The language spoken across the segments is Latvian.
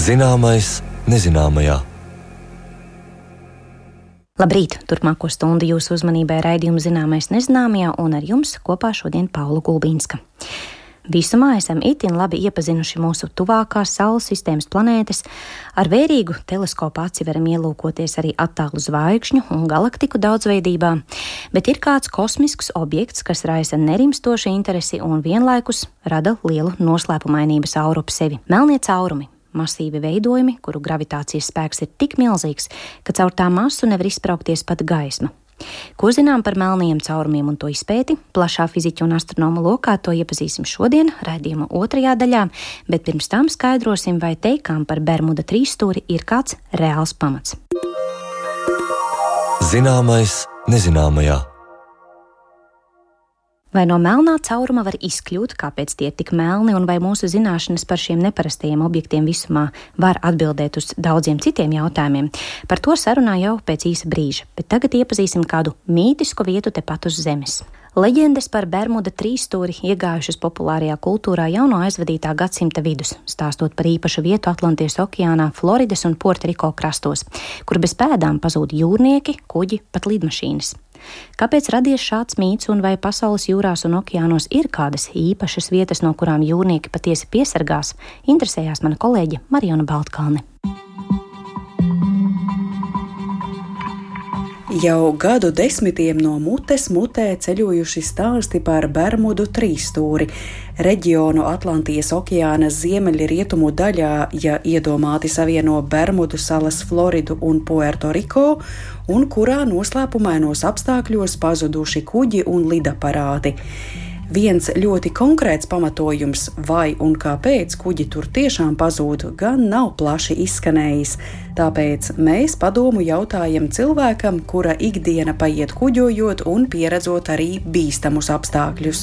Zināmais nezināmajā. Labrīt! Turpmāko stundu jūsu uzmanībai raidījuma Zināmais nezināmajā, un ar jums kopā šodien Paula Gulbīnska. Visumā esam itin labi iepazinuši mūsu tuvākās Saules sistēmas planētas. Ar vērīgu teleskopu aci varam ielūkoties arī attālu zvaigžņu un galaktiku daudzveidībā, bet ir kāds kosmisks objekts, kas raisa nerimstošu interesi un vienlaikus rada lielu noslēpumainības auru ap sevi – melnie caurumi. Masīvi veidojumi, kuru gravitācijas spēks ir tik milzīgs, ka caur tā masu nevar izspraukties pat gaisma. Ko zinām par melnajiem caurumiem un to izpēti? Plašā fiziķu un astronoma lokā to iepazīsim šodien, raidījuma otrajā daļā, bet pirms tam skaidrosim, vai teikām par Bermuda trīsstūri ir kāds reāls pamats. Zināmais nezināmajā. Vai no melnā cauruma var izkļūt, kāpēc tie ir tik melni, un vai mūsu zināšanas par šiem neparastajiem objektiem visumā var atbildēt uz daudziem citiem jautājumiem? Par to sarunā jau pēc īsa brīža, bet tagad iepazīsim kādu mītisku vietu tepat uz Zemes. Leģendas par Bermuda trīsstūri iegājušas populārajā kultūrā jau no aizvadītā gadsimta vidus, stāstot par īpašu vietu Atlantijas okeānā, Floridas un Puertoriko krastos, kur bez pēdām pazūd jūrnieki, kuģi, pat lidmašīnas. Kāpēc radies šāds mīts, un vai pasaules jūrās un okeānos ir kādas īpašas vietas, no kurām jūrnieki patiesi piesargās, interesējās mana kolēģe Mariona Baltkalne. Jau gadu desmitiem no mutes mutē ceļojuši stāsti par Bermudu trīsstūri, reģionu Atlantijas okeāna ziemeļrietumu daļā, ja iedomāti savieno Bermudu salas, Floridu un Puertoriko, un kurā noslēpumainos apstākļos pazuduši kuģi un lidaparāti. Viens ļoti konkrēts pamatojums, vai un kāpēc kuģi tur tiešām pazūd, gan nav plaši izskanējis. Tāpēc mēs padomu jautājam cilvēkam, kura ikdiena paiet kuģojot un pieredzot arī bīstamus apstākļus.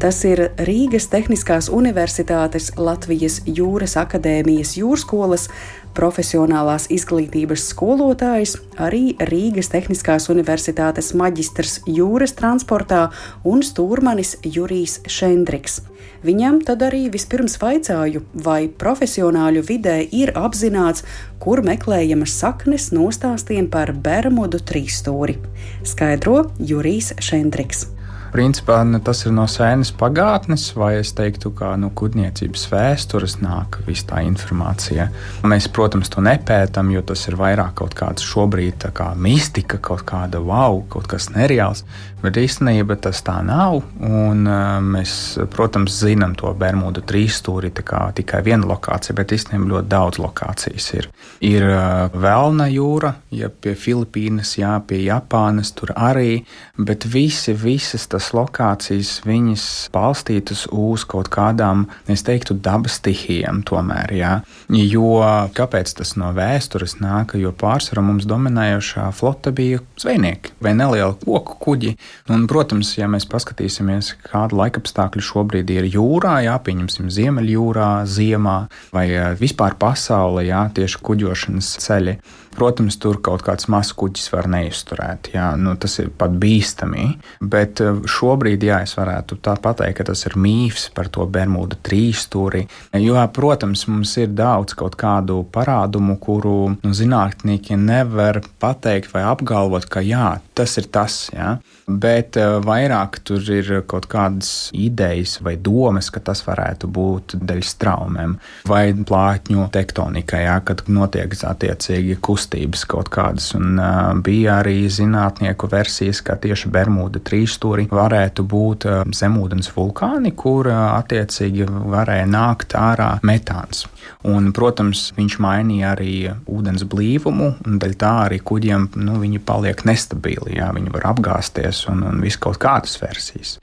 Tas ir Rīgas Tehniskās Universitātes Latvijas Jūras akadēmijas jūrskolas profesionālās izglītības skolotājs, arī Rīgas Tehniskās Universitātes maģistrs jūras transportā un stūrmanis Jurijs Šendriks. Viņam tad arī vispirms vaicāju, vai profesionāļu vidē ir apzināts, kur meklējamas saknes nostāstiem par Bermudu trīsstūri. Skaidro Jurijs Šendriks. Principā tas ir no sēnes pagātnes, vai es teiktu, ka no kuģniecības vēstures nāk visa tā informācija. Mēs, protams, to nepētam, jo tas ir vairāk kaut kāds šobrīd tā kā mistika, kaut kāda kaut kas nereāls, bet īstenībā tas tā nav, un mēs, protams, zinām to Bermudu trīsstūri tikai viena lokācija, bet īstenībā ļoti daudz lokācijas ir. Ir Velna jūra, ja pie Filipīnas, jā, pie Japānas, tur arī, bet visas tas lokācijas, viņas balstītas uz kaut kādām, es teiktu, dabas stihijām tomēr, jā. Jo kāpēc tas no vēstures nāk? Jo pārsvarā mums dominējošā flota bija zvejnieki vai nelieli koku kuģi. Un, protams, ja mēs paskatīsimies, kāda laikapstākļi šobrīd ir jūrā, jā, pieņemsim Ziemeļjūrā, ziemā vai vispār pasaulē, jā, tieši kuģošanas ceļi. Protams, tur kaut kāds mazs kuģis var neizturēt, jā, tas ir pat bīstami, bet šobrīd, jā, es varētu tā pateikt, ka tas ir mīfs par to Bermuda trīsstūri, jo, protams, mums ir daudz kaut kādu parādumu, kuru zinātnieki nevar pateikt vai apgalvot, ka jā, tas ir tas, jā, bet vairāk tur ir kaut kādas idejas vai domas, ka tas varētu būt dēļ straumēm vai plātņu tektonikai, jā, kad notiek attiecīgi kustības kaut kādas, un bija arī zinātnieku versijas, ka tieši Bermuda trīsstūri varētu būt zemūdens vulkāni, kur attiecīgi varēja nākt ārā metāns. Un, protams, viņš mainīja arī ūdens blīvumu, un dēļ tā arī kuģiem, viņi paliek nestabili, jā, viņi var apgāsties un viss kaut kādas versijas.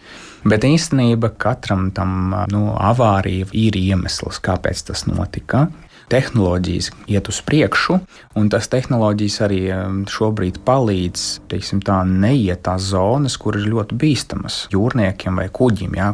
Bet īstenībā katram tam avārija ir iemesls, kāpēc tas notika. tehnoloģijas iet uz priekšu, un tas tehnoloģijas arī šobrīd palīdz, teiksim tā, neiet tās zonas, kur ir ļoti bīstamas jūrniekiem vai kuģim. Jā.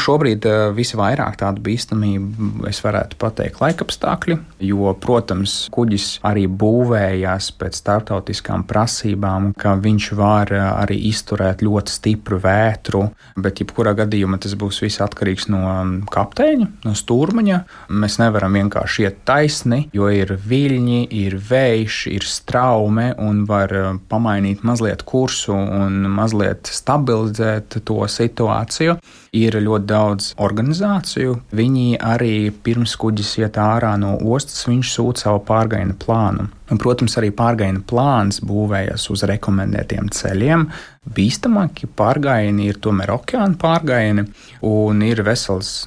Šobrīd visvairāk tādu bīstamību es varētu pateikt laikapstākļi, jo, protams, kuģis arī būvējās pēc starptautiskām prasībām, ka viņš var arī izturēt ļoti stipru vētru, bet jebkurā gadījumā tas būs viss atkarīgs no kapteiņa, no stūrmaņa. Mēs nevaram vienkārši iet taisni, jo ir viļņi, ir vējš, ir straume un var pamainīt mazliet kursu un mazliet stabilizēt to situāciju. Ir ļoti daudz organizāciju. Viņi arī pirms kuģis iet ārā no ostas, viņš sūta savu pārgājiena plānu. Un, protams, arī pārgājiena plāns būvējas uz rekomendētiem ceļiem. Bīstamākie pārgājieni ir tomēr okeāna pārgājieni, un ir vesels,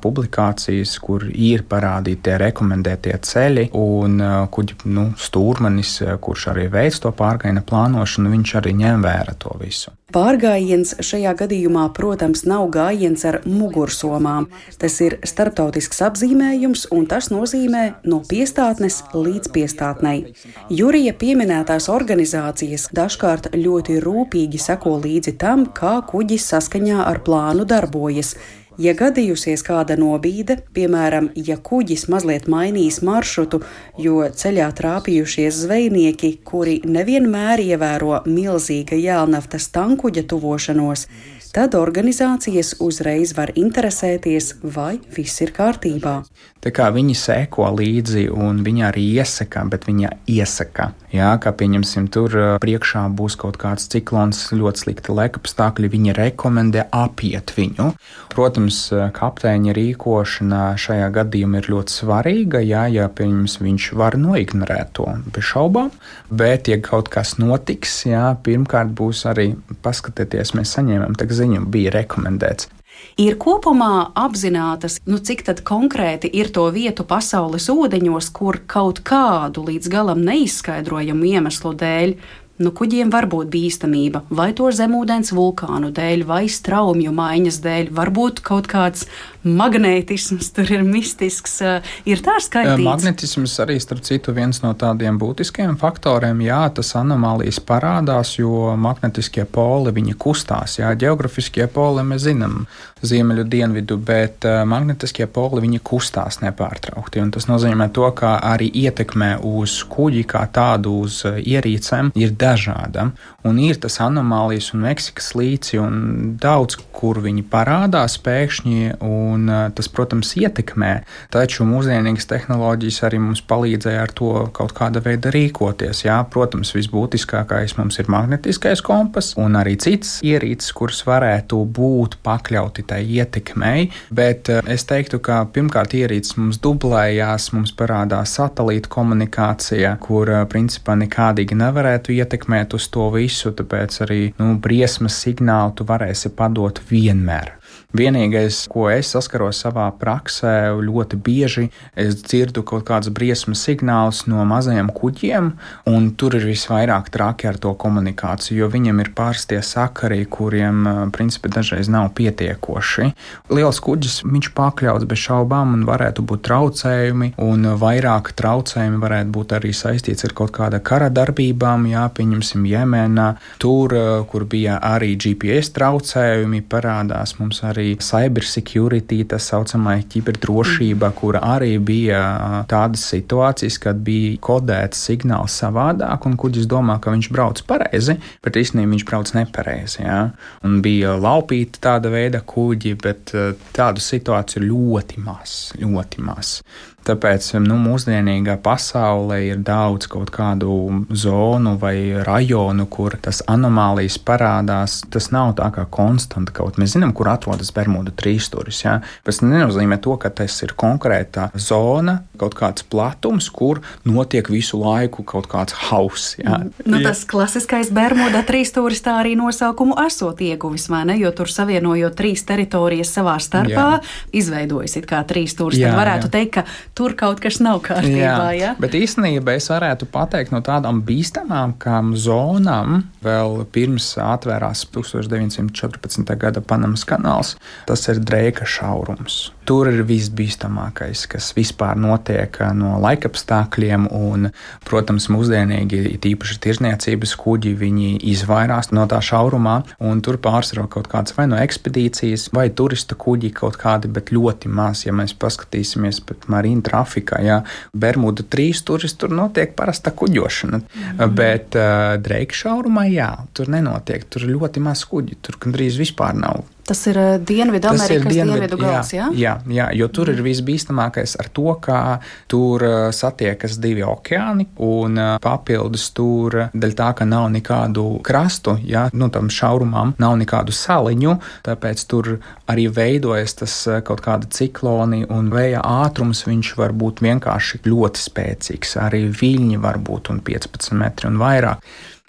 publikācijas, kur ir parādīti tie rekomendētie ceļi, un kuģi stūrmanis, kurš arī veic to pārgājiena plānošanu, viņš arī ņem vērā to visu. Pārgājiens šajā gadījumā, protams, nav gājiens ar mugursomām. Tas ir starptautisks apzīmējums, un tas nozīmē no piestātnes līdz piestātnei. Jurija pieminētās organizācijas dažkārt ļoti rūpīgi seko līdzi tam, kā kuģis saskaņā ar plānu darbojas. Ja gadījusies kāda nobīde, piemēram, ja kuģis mazliet mainīs maršrutu, jo ceļā trāpījušies zvejnieki, kuri nevienmēr ievēro milzīga jēlnaftas tankuģa tuvošanos, tad organizācijas uzreiz var interesēties, vai viss ir kārtībā. Tā kā viņi seko līdzi un viņi arī iesaka, bet viņi iesaka. Jā, kā pieņemsim, tur priekšā būs kaut kāds ciklons, ļoti slikti laikapstākļi, viņi rekomendē apiet viņu. Protams, kapteiņa rīkošana šajā gadījumā ir ļoti svarīga, ja viņš var noignorēt to bez šaubām, bet, ja kaut kas notiks, pirmkārt būs arī paskatieties, mēs saņēmām tak ziņu, bija rekomendēts. Ir kopumā apzinātas, cik tad konkrēti ir to vietu pasaules ūdeņos, kur kaut kādu līdz galam neizskaidrojamu iemeslu dēļ kuģiem var būt bīstamība, vai to zemūdens vulkānu dēļ, vai straumju maiņas dēļ, varbūt kaut kāds magnētisms tur ir mistisks, ir tā skaitīts. Magnetisms arī, starp citu, viens no tādiem būtiskajiem faktoriem, tas anomālijas parādās, jo magnetiskie poli, viņi kustās, ģeografiskie poli mēs zinām ziemeļu dienvidu, bet magnetiskie poli, viņi kustās nepārtraukti, un tas nozīmē to, ka arī ietekmē uz kuģi kā tādu uz ierīcēm ir dažāda, un ir tas anomālijas un Meksikas līci, un daudz, kur viņi parādās pēkšņi, un tas, protams, ietekmē, taču mūsdienīgas tehnoloģijas arī mums palīdzēja ar to kaut kāda veida rīkoties. Protams, visbūtiskākais mums ir magnetiskais kompas, un arī cits ierīces, kuras varētu būt pakļauti tai ietekmei, bet es teiktu, ka pirmkārt ierīces mums dublējās, mums parādās satelīta komunikācija, kur principā nekādīgi nevarētu ietekmēt uz to visu, tāpēc arī briesmas signālu tu varēsi padot vienmēr. Vienīgais, ko es saskaros savā praksē, ļoti bieži es dzirdu kaut kādas briesmas signālus no mazajiem kuģiem, un tur ir visvairāk traki ar to komunikāciju, jo viņiem ir pārstie sakari, kuriem principā dažreiz nav pietiekoši. Liels kuģis, viņš pakļauts bez šaubām un varētu būt traucējumi, un vairāk traucējumi varētu būt arī saistīts ar kaut kāda kara darbībām, pieņemsim Jemenā, tur, kur bija arī GPS traucējumi, parādās mums arī cyber security, tas saucamā ķiberdrošība, kura arī bija tādas situācijas, kad bija kodēts signāls savādāk, un kuģis domā, ka viņš brauc pareizi, bet īstenībā viņš brauc nepareizi. Un bija laupīti tāda veida kuģi, bet tādu situāciju ļoti maz. Tāpēc mūsdienīgā pasaulē ir daudz kaut kādu zonu vai rajonu, kur tas anomālijas parādās. Tas nav tā kā konstanta kaut. Mēs zinām, kur atrodas Bermudu trīsstūris. Tas nenozīmē to, ka tas ir konkrēta zona, kaut kāds platums, kur notiek visu laiku kaut kāds hauss. Tas klasiskais Bermuda trīsstūris tā arī nosaukumu esot ieguvis, vai ne? Jo tur savienojot trīs teritorijas savā starpā, izveidojas it kā trīsstūris. Tad varētu teikt, ka tur kaut kas nav kārtībā, Bet īstenībā es varētu pateikt no tādām bīstamākām zonām, vēl pirms atvērās 1914. gada Panamas kanāls, tas ir Dreika šaurums. Tur ir visbīstamākais, kas vispār notiek no laikapstākļiem, un, protams, mūsdienīgi, tīpaši tirzniecības kuģi, viņi izvairās no tā šaurumā, un tur pārsvarā kaut kāds vai no ekspedīcijas, vai turista kuģi kaut kādi, bet ļoti maz, ja mēs paskatīsimies pat marīna trafikā, Bermuda trīsstūris, tur notiek parasta kuģošana, bet Dreika šaurumā, tur nenotiek, tur ļoti maz kuģi, tur gandrīz vispār nav Tas ir Dienvidamerikas dienvidu gals, jā? Jā, jo tur ir visbīstamākais ar to, ka tur satiekas divi okeāni un papildus tur, dēļ tā, ka nav nekādu krastu, jā, tam šaurumam nav nekādu saliņu, tāpēc tur arī veidojas tas kaut kāda cikloni un vēja ātrums, viņš var būt vienkārši ļoti spēcīgs, arī viļņi var būt un 15 metri un vairāk.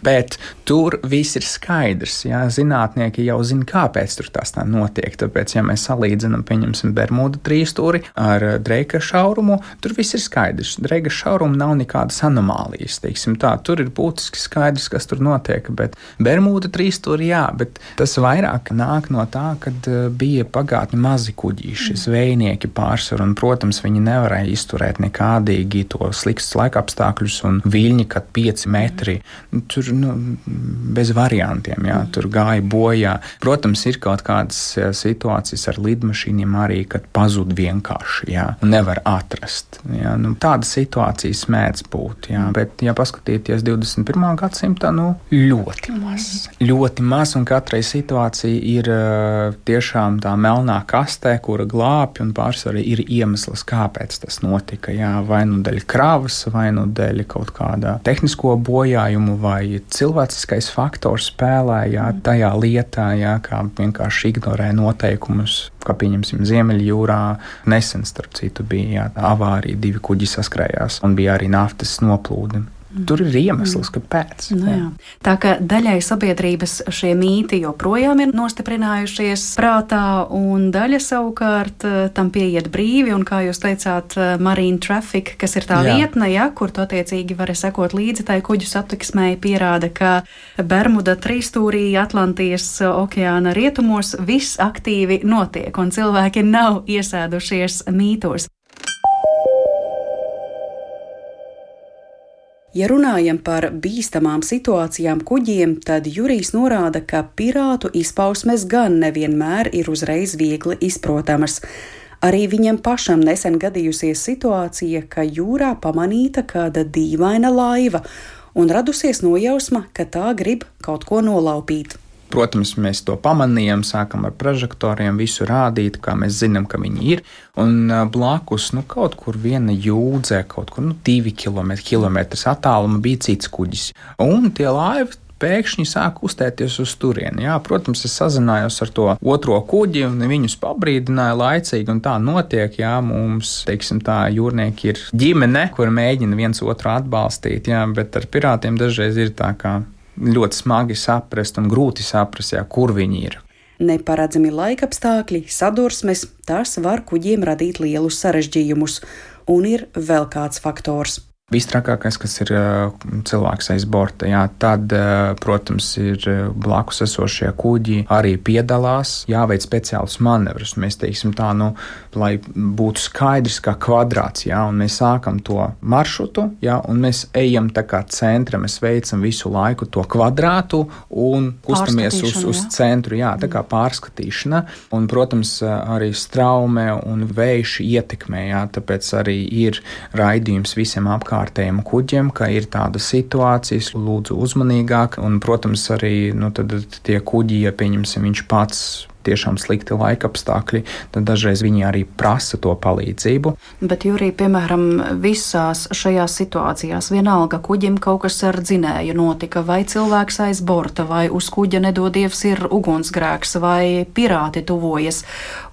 Bet tur viss ir skaidrs, jā, zinātnieki jau zina, kāpēc tur tas tā notiek, tāpēc, ja mēs salīdzinām, pieņemsim Bermudu trīsstūri ar Dreika šaurumu, tur viss ir skaidrs. Dreika šaurumu nav nekādas anomālijas, teiksim tā, tur ir būtiski skaidrs, kas tur notiek, bet Bermuda trīsstūri, jā, bet tas vairāk nāk no tā, kad bija pagātni mazi kuģīši, zvejnieki pārsvar, un, protams, viņi nevarēja izturēt nekādīgi to sliktus laikapstākļus un viļņi, kad 5 metri, tur bez variantiem, jā, tur gāja bojā. Protams, ir kaut kādas situācijas ar lidmašīniem arī, kad pazud vienkārši, jā, un nevar atrast. Jā. Tādas situācijas mēdz būt, jā, bet, ja paskatīties 21. gadsimtā, ļoti maz, un katrai situācija ir tiešām tā melnā kastē, kura glābj, un pārsvarā ir iemesls, kāpēc tas notika, jā, vai dēļ kravas, vai dēļ kaut kādā tehnisko bojājumu, vai cilvēciskais faktors spēlē, jā, tajā lietā, jā, kā vienkārši ignorē noteikumus, kā pieņemsim Ziemeļjūrā. Nesen, starp citu, bija avārija, 2 kuģi saskrējās un bija arī naftas noplūde. Tur ir iemesls, kāpēc. Tā kā daļai sabiedrības šie mīti joprojām ir nostiprinājušies prātā, un daļa savukārt tam pieiet brīvi, un kā jūs teicāt, Marine Traffic, kas ir tā vietne, kur tu attiecīgi vari sekot līdzi tai kuģu satiksmei, pierāda, ka Bermuda trīsstūrī Atlantijas okeāna rietumos viss aktīvi notiek, un cilvēki nav iesēdušies mītos. Ja runājam par bīstamām situācijām kuģiem, tad Jurijs norāda, ka pirātu izpausmes gan nevienmēr ir uzreiz viegli izprotamas. Arī viņam pašam nesen gadījusies situācija, ka jūrā pamanīta kāda dīvaina laiva un radusies nojausma, ka tā grib kaut ko nolaupīt. Protams, mēs to pamanījām, sākam ar prožektoriem visu rādīt, kā mēs zinām, ka viņi ir, un blakus, kaut kur viena jūdzē, kaut kur 2 kilometri attāluma bija cits kuģis. Un tie laivi pēkšņi sāk uztēties uz turieni. Jā, protams, es sazinājos ar to otro kuģi, un viņus pabrīdināja laicīgi, un tā notiek, jā, mums, teiksim tā, jūrnieki ir ģimene, kur mēģina viens otru atbalstīt, jā, bet ar pirātiem dažreiz ir tā kā ļoti smagi saprast un grūti saprast, kur viņi ir. Neparedzami laikapstākļi, sadursmes, tas var kuģiem radīt lielus sarežģījumus, un ir vēl kāds faktors. Vistrakākais, kas ir cilvēks aiz borta, jā, tad, protams, ir blakus esošie kuģi arī piedalās, jāveic speciālus manevrus. Mēs teiksim tā, lai būtu skaidrs kā kvadrāts, jā, un mēs sākam to maršrutu, jā, un mēs ejam tā kā centra, mēs veicam visu laiku to kvadrātu un kustamies uz centru, jā, tā kā pārskatīšana, un, protams, arī straume un vējš ietekmē, jā, tāpēc arī ir raidījums visiem apkārtējiem kuģiem, ka ir tādas situācijas, lūdzu uzmanīgāk, un, protams, arī, tad tie kuģi, ja pieņemsim, viņš pats tiešām slikti laikapstākļi, tad dažreiz viņi arī prasa to palīdzību. Bet, Jurij, piemēram, visās šajās situācijās vienalga kuģim kaut kas ar dzinēju notika, vai cilvēks aiz borta, vai uz kuģa nedodievs ir ugunsgrēks, vai pirāti tuvojas,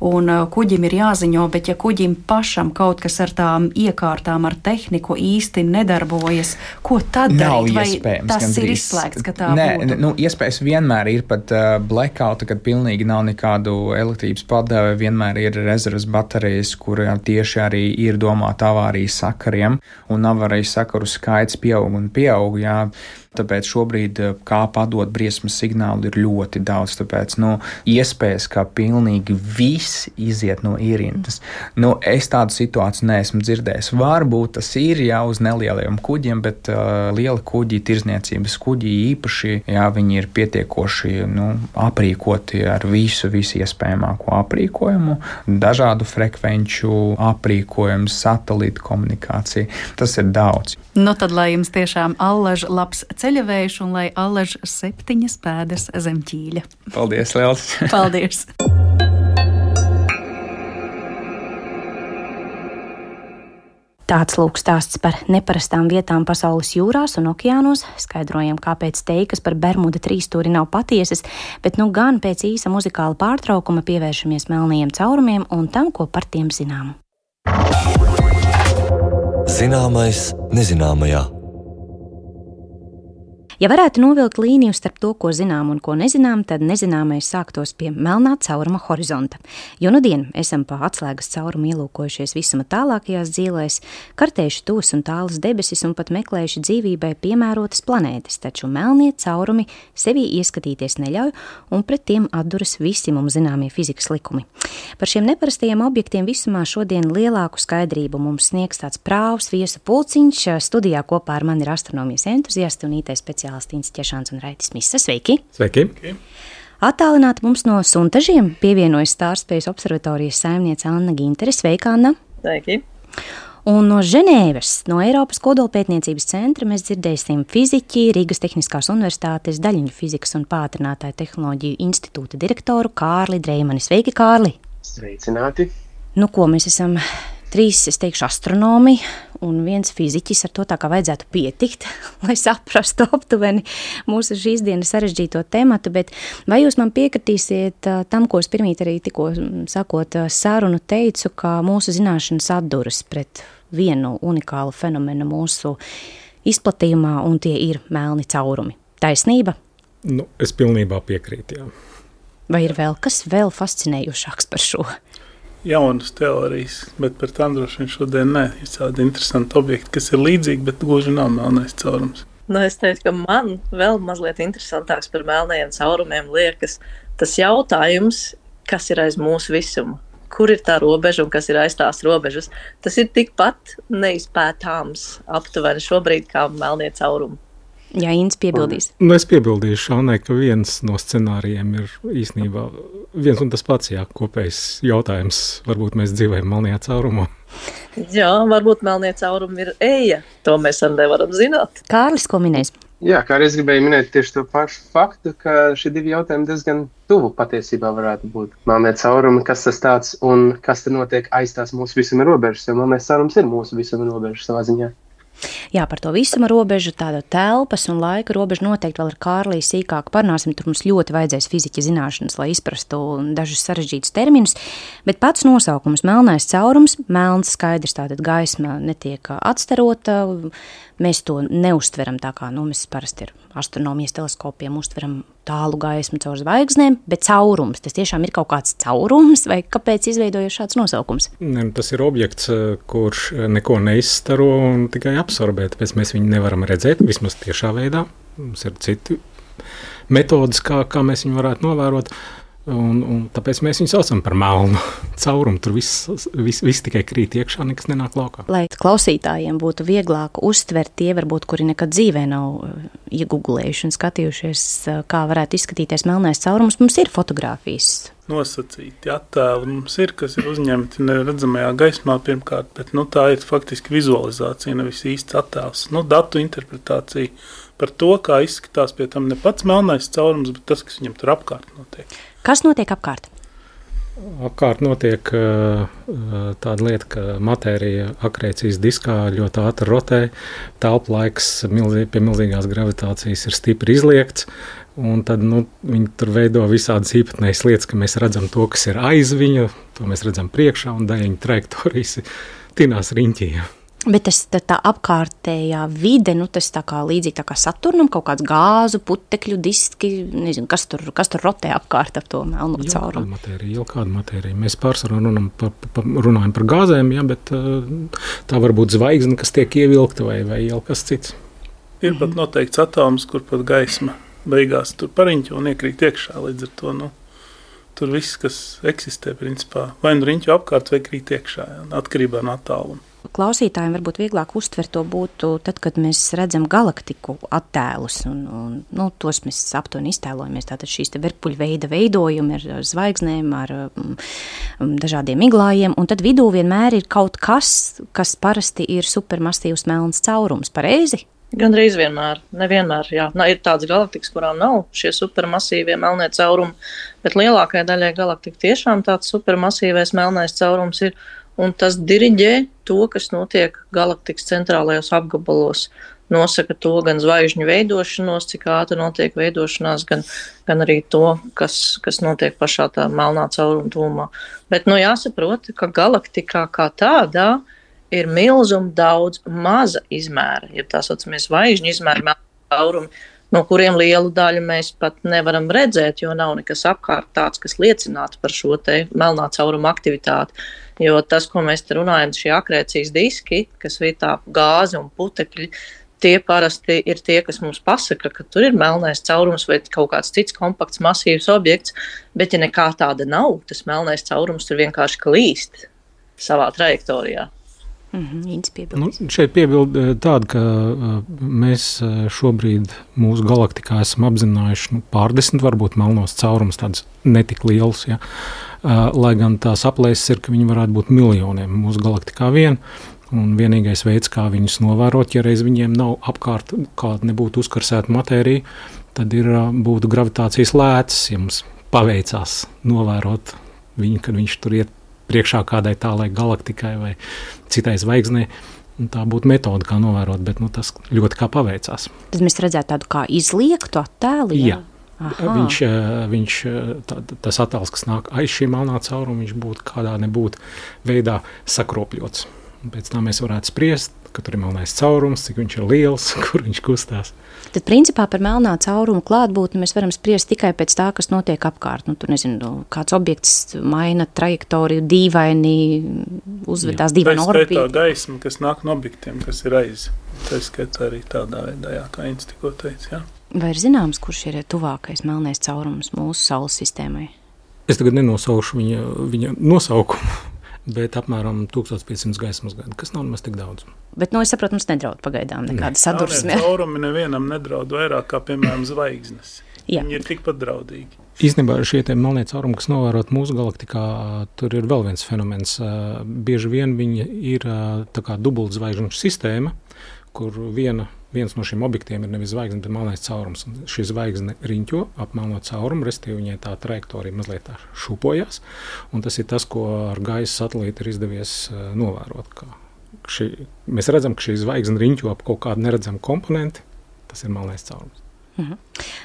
un kuģim ir jāziņo, bet ja kuģim pašam kaut kas ar tām iekārtām, ar tehniku īsti nedarbojas, ko tad darīt? Vai tas ir izslēgts, ka tā būtu? Iespējas vienmēr ir pat blackouta, kad pilnīgi nav kādu elektrības padeve, vienmēr ir rezerves baterijas, kurām tieši arī ir domāta avārijas sakariem, un avārijas sakaru skaits pieaug, jā. Tāpēc šobrīd, kā padot briesmas signālu, ir ļoti daudz. Tāpēc, iespējas, kā pilnīgi viss iziet no ierindas. Es tādu situāciju neesmu dzirdējis. Varbūt tas ir jau uz nelieliem kuģiem, bet liela kuģi, tirzniecības kuģi īpaši, jā, viņi ir pietiekoši, aprīkoti ar visu iespējamāko aprīkojumu, dažādu frekvenču aprīkojumu, satelītu komunikāciju. Tas ir daudz. Tad, lai jums tiešām allaž labs ceļavējš un lai allaž 7 pēdas zem ķīļa. Paldies, Lielas! Paldies! Tāds lūk stāsts par neparastām vietām pasaules jūrās un okeānos. Skaidrojam, kāpēc teikas par Bermuda trīsstūri nav patiesas, bet nu gan pēc īsa muzikāla pārtraukuma pievēršamies melnajiem caurumiem un tam, ko par tiem zinām. Zināmais nezināmajā. Ja varētu novilkt līniju starp to, ko zinām un ko nezinām, tad nezināmais sāktos pie melnā cauruma horizonta. Jo nudien esam pa atslēgas caurumu ielūkojušies visuma tālākajās dzīvēs, kartējuši tūs un tālas debesis un pat meklējuši dzīvībai piemērotas planētas, taču melnie caurumi sevī ieskatīties neļauj un pret tiem atduras visi mums zināmie fizikas likumi. Par šiem neparastajiem objektiem visumā šodien lielāku skaidrību mums sniegs tāds prāvs viesu pulciņš. Studijā kopā ar mani ir astronomijas entuziasti un IT speciālisti Ķešāns un Raitis Misa. Sveiki! Sveiki! Attālināti mums no Suntažiem pievienojas Stārspējas observatorijas saimniece Anna Gintere. Sveika, Anna! Sveiki! Un no Ženēvas, no Eiropas kodolpētniecības centra mēs dzirdēsim fiziķi, Rīgas Tehniskās universitātes daļiņu fizikas un pātrinātāju tehnoloģiju institūta direktoru Kārli Dreimani. Sveiki, Kārli! Sveicināti! Nu, ko mēs esam? 3, es teikšu, astronomi un 1 fiziķis, ar to tā kā vajadzētu pietikt, lai saprastu aptuveni mūsu šīs dienas sarežģīto tematu, bet vai jūs man piekritīsiet tam, ko es pirmīt arī tikko sakot sarunu teicu, ka mūsu zināšanas atduras pret vienu unikālu fenomenu mūsu izplatījumā, un tie ir melni caurumi. Taisnība? Nu, es pilnībā piekrītu, jā. Vai ir vēl kas vēl fascinējošāks par šo? Jaunas teorijas, bet par tām droši vien šodien nē. Ir tādi interesanti objekti, kas ir līdzīgi, bet gluži nav melnais caurums. Nu, es teiktu, ka man vēl mazliet interesantāks par melnajiem caurumiem liekas tas jautājums, kas ir aiz mūsu visuma. Kur ir tā robeža un kas ir aiz tās robežas? Tas ir tikpat neizpētāms aptuveni šobrīd kā melnie caurumi. Jā, Inns piebildīs. Nu, es piebildīšu Šānai, ka viens no scenārijiem ir īstenībā viens un tas pats, jā, kopējs jautājums. Varbūt mēs dzīvojam melnajā caurumā. Jā, varbūt melnie caurumi ir eja. To mēs arī nevaram zināt. Kārlis, ko minēs? Jā, kā arī es gribēju minēt tieši to pašu faktu, ka šie 2 jautājumi diezgan tuvu patiesībā varētu būt. Melnie caurumi, kas tas tāds un kas tad notiek aiz tās mūsu visuma robežas, jo melnais caurums ir mūsu visuma robežas savā ziņā. Jā, par to visuma robežu, tāda telpas un laika robežu noteikti vēl ar Kārlī sīkāk parunāsim. Tur mums ļoti vajadzēs fiziķa zināšanas, lai izprastu dažus sarežģītus terminus, bet pats nosaukums melnais caurums, melns skaidrs, tātad gaisma netiek atstarota, mēs to neuztveram tā kā, mēs parasti ar astronomijas teleskopiem uztveram tālu gaismu caur zvaigznēm, bet caurums, tas tiešām ir kaut kāds caurums, vai kāpēc izveidojas šāds nosaukums? Ne, tas ir objekts, kurš neko neizstaro un tikai absorbē, tāpēc mēs viņu nevaram redzēt, vismaz tiešā veidā. Mums ir citi metodas, kā mēs viņu varētu novērot. Un tāpēc mēs viņu saucam par melnu caurumu. Tur viss tikai krīt iekšā, nekas nenāk laukā. Lai klausītājiem būtu vieglāk uztvert tie, varbūt, kuri nekad dzīvē nav iegooglējuši un skatījušies, kā varētu izskatīties melnais caurums, mums ir fotogrāfijas. Nosacīti attēli mums ir, kas ir uzņemti neredzamajā gaismā pirmkārt, bet tā ir faktiski vizualizācija, nevis īsts attēls. Datu interpretācija par to, kā izskatās pie tam ne pats melnais caurums, bet tas, kas viņam tur apkārt notiek. Kas notiek apkārt? Apkārt notiek tāda lieta, ka matērija akrēcijas diskā ļoti ātri rotē, telpa laiks pie milzīgās gravitācijas ir stipri izliekts, un tad viņi tur veido visādas īpatnējas lietas, ka mēs redzam to, kas ir aiz viņa, to mēs redzam priekšā, un daļiņa trajektorijas tinās riņķī. Bet tas tā apkārtējā vide, tas tā kā līdzīgi tā kā Saturnam, kaut kāds gāzu, putekļu diski, nezinu, kas tur rotē apkārt ap to melno caurumu. Jau kāda matērija. Mēs pārsvarā runājam par gāzēm, jā, bet tā var būt zvaigzne, kas tiek ievilkta vai jau kas cits. Ir pat noteikts atoms, kur pat gaisma beigās tur pariņķo un iekrīt iekšā, līdz ar to, tur viss, kas eksistē, principā, vai riņķo apkārt vai krīt iekšā, atkarībā no attāluma. Klausītājiem varbūt vieglāk uztvert to būtu tad, kad mēs redzam galaktiku attēlus, un tos mēs aptuveni iztēlojamies. Tātad šīs verpuļveida veidojumi ar zvaigznēm, ar dažādiem miglājiem, un tad vidū vienmēr ir kaut kas, kas parasti ir supermasīvs melns caurums. Pareizi? Gandrīz vienmēr, nevienmēr, jā. Ir tādas galaktikas, kurām nav šie supermasīvie melnie caurumi, bet lielākajai daļai galaktika tiešām tāds supermasīvais melnais caurums ir, un tas diriģē to, kas notiek galaktikas centrālajos apgabalos. Nosaka to gan zvaigžņu veidošanos, cik ātri notiek veidošanās, gan arī to, kas notiek pašā tā melnā cauruma tūmā. Bet, jāsaprot, ka galaktikā kā tādā ir milzuma daudz maza izmēra, ja tā saucamie zvaigžņu izmēra melnā caurumi, no kuriem lielu daļu mēs pat nevaram redzēt, jo nav nekas apkārt tāds, kas liecinātu par šo te melnā cauruma aktivitāti. Jo tas, ko mēs te runājam, šie akrēcijas diski, kas ir tā gāze un putekļi, tie parasti ir tie, kas mums pasaka, ka tur ir melnais caurums vai kaut kāds cits kompakts, masīvs objekts, bet ja nekā tāda nav, tas melnais caurums tur vienkārši klīst savā trajektorijā. Šeit piebild tāda, ka mēs šobrīd mūsu galaktikā esam apzinājuši pārdesmit varbūt melnos caurums, tāds netik liels, ja? Lai gan tās aplēses ir, ka viņi varētu būt miljoniem mūsu galaktikā vien, un vienīgais veids, kā viņus novērot, ja reiz viņiem nav apkārt kāda nebūtu uzkarsēta matērija, tad būtu gravitācijas lēcas, ja mums paveicās novērot viņu, kad viņš tur iet priekšā kādai tālai galaktikai vai citai zvaigznei. Tā būtu metode, kā novērot, bet tas ļoti kā paveicās. Tad mēs redzētu tādu kā izliektu attēlu? Jā. Tas attēls, kas nāk aiz šī melnā cauruma, viņš būtu kādā nebūtu veidā sakropļots. Pēc tam mēs varētu spriest, ka tur ir melnais caurums, cik viņš ir liels, kur viņš kustās. Tad principā par melnā cauruma klātbūtni mēs varam spriest tikai pēc tā, kas notiek apkārt. Tur kāds objekts maina trajektoriju, dīvaini uzvedās, dīvaini orbīti. Tā skaitā gaisma, kas nāk no objektiem, kas ir aiz. Tā skaitā arī tādā veidā, kā Ints tikko teica, jā. Vai ir zināms, kurš ir tuvākais melnais caurums mūsu Saules sistēmai? Es tagad nenosaušu viņa nosaukumu. Bet apmēram 1500 gaismas gadu, kas nav nemaz tik daudz. Bet, es saprotu, mums nedraud pagaidām nekāda sadursme. Caurumi nevienam nedraud vairāk kā, piemēram, zvaigznes. Viņi ir tikpat draudīgi. Īstenībā šie melnie caurumi, kas novērot mūsu galaktikā, tur ir vēl viens fenomens. Bieži vien viņi ir tā kā dubultzvaigžņu sistēma, kur viens no šiem objektiem ir nevis zvaigzne, bet melnais caurums. Šī zvaigzne riņķo ap melno caurumu, respektīvi viņai tā trajektorija mazliet tā šūpojās, un tas ir tas, ko ar gaisa satelīti ir izdevies novērot. Mēs redzam, ka šī zvaigzne riņķo ap kaut kādu neredzamu komponenti, tas ir melnais caurums.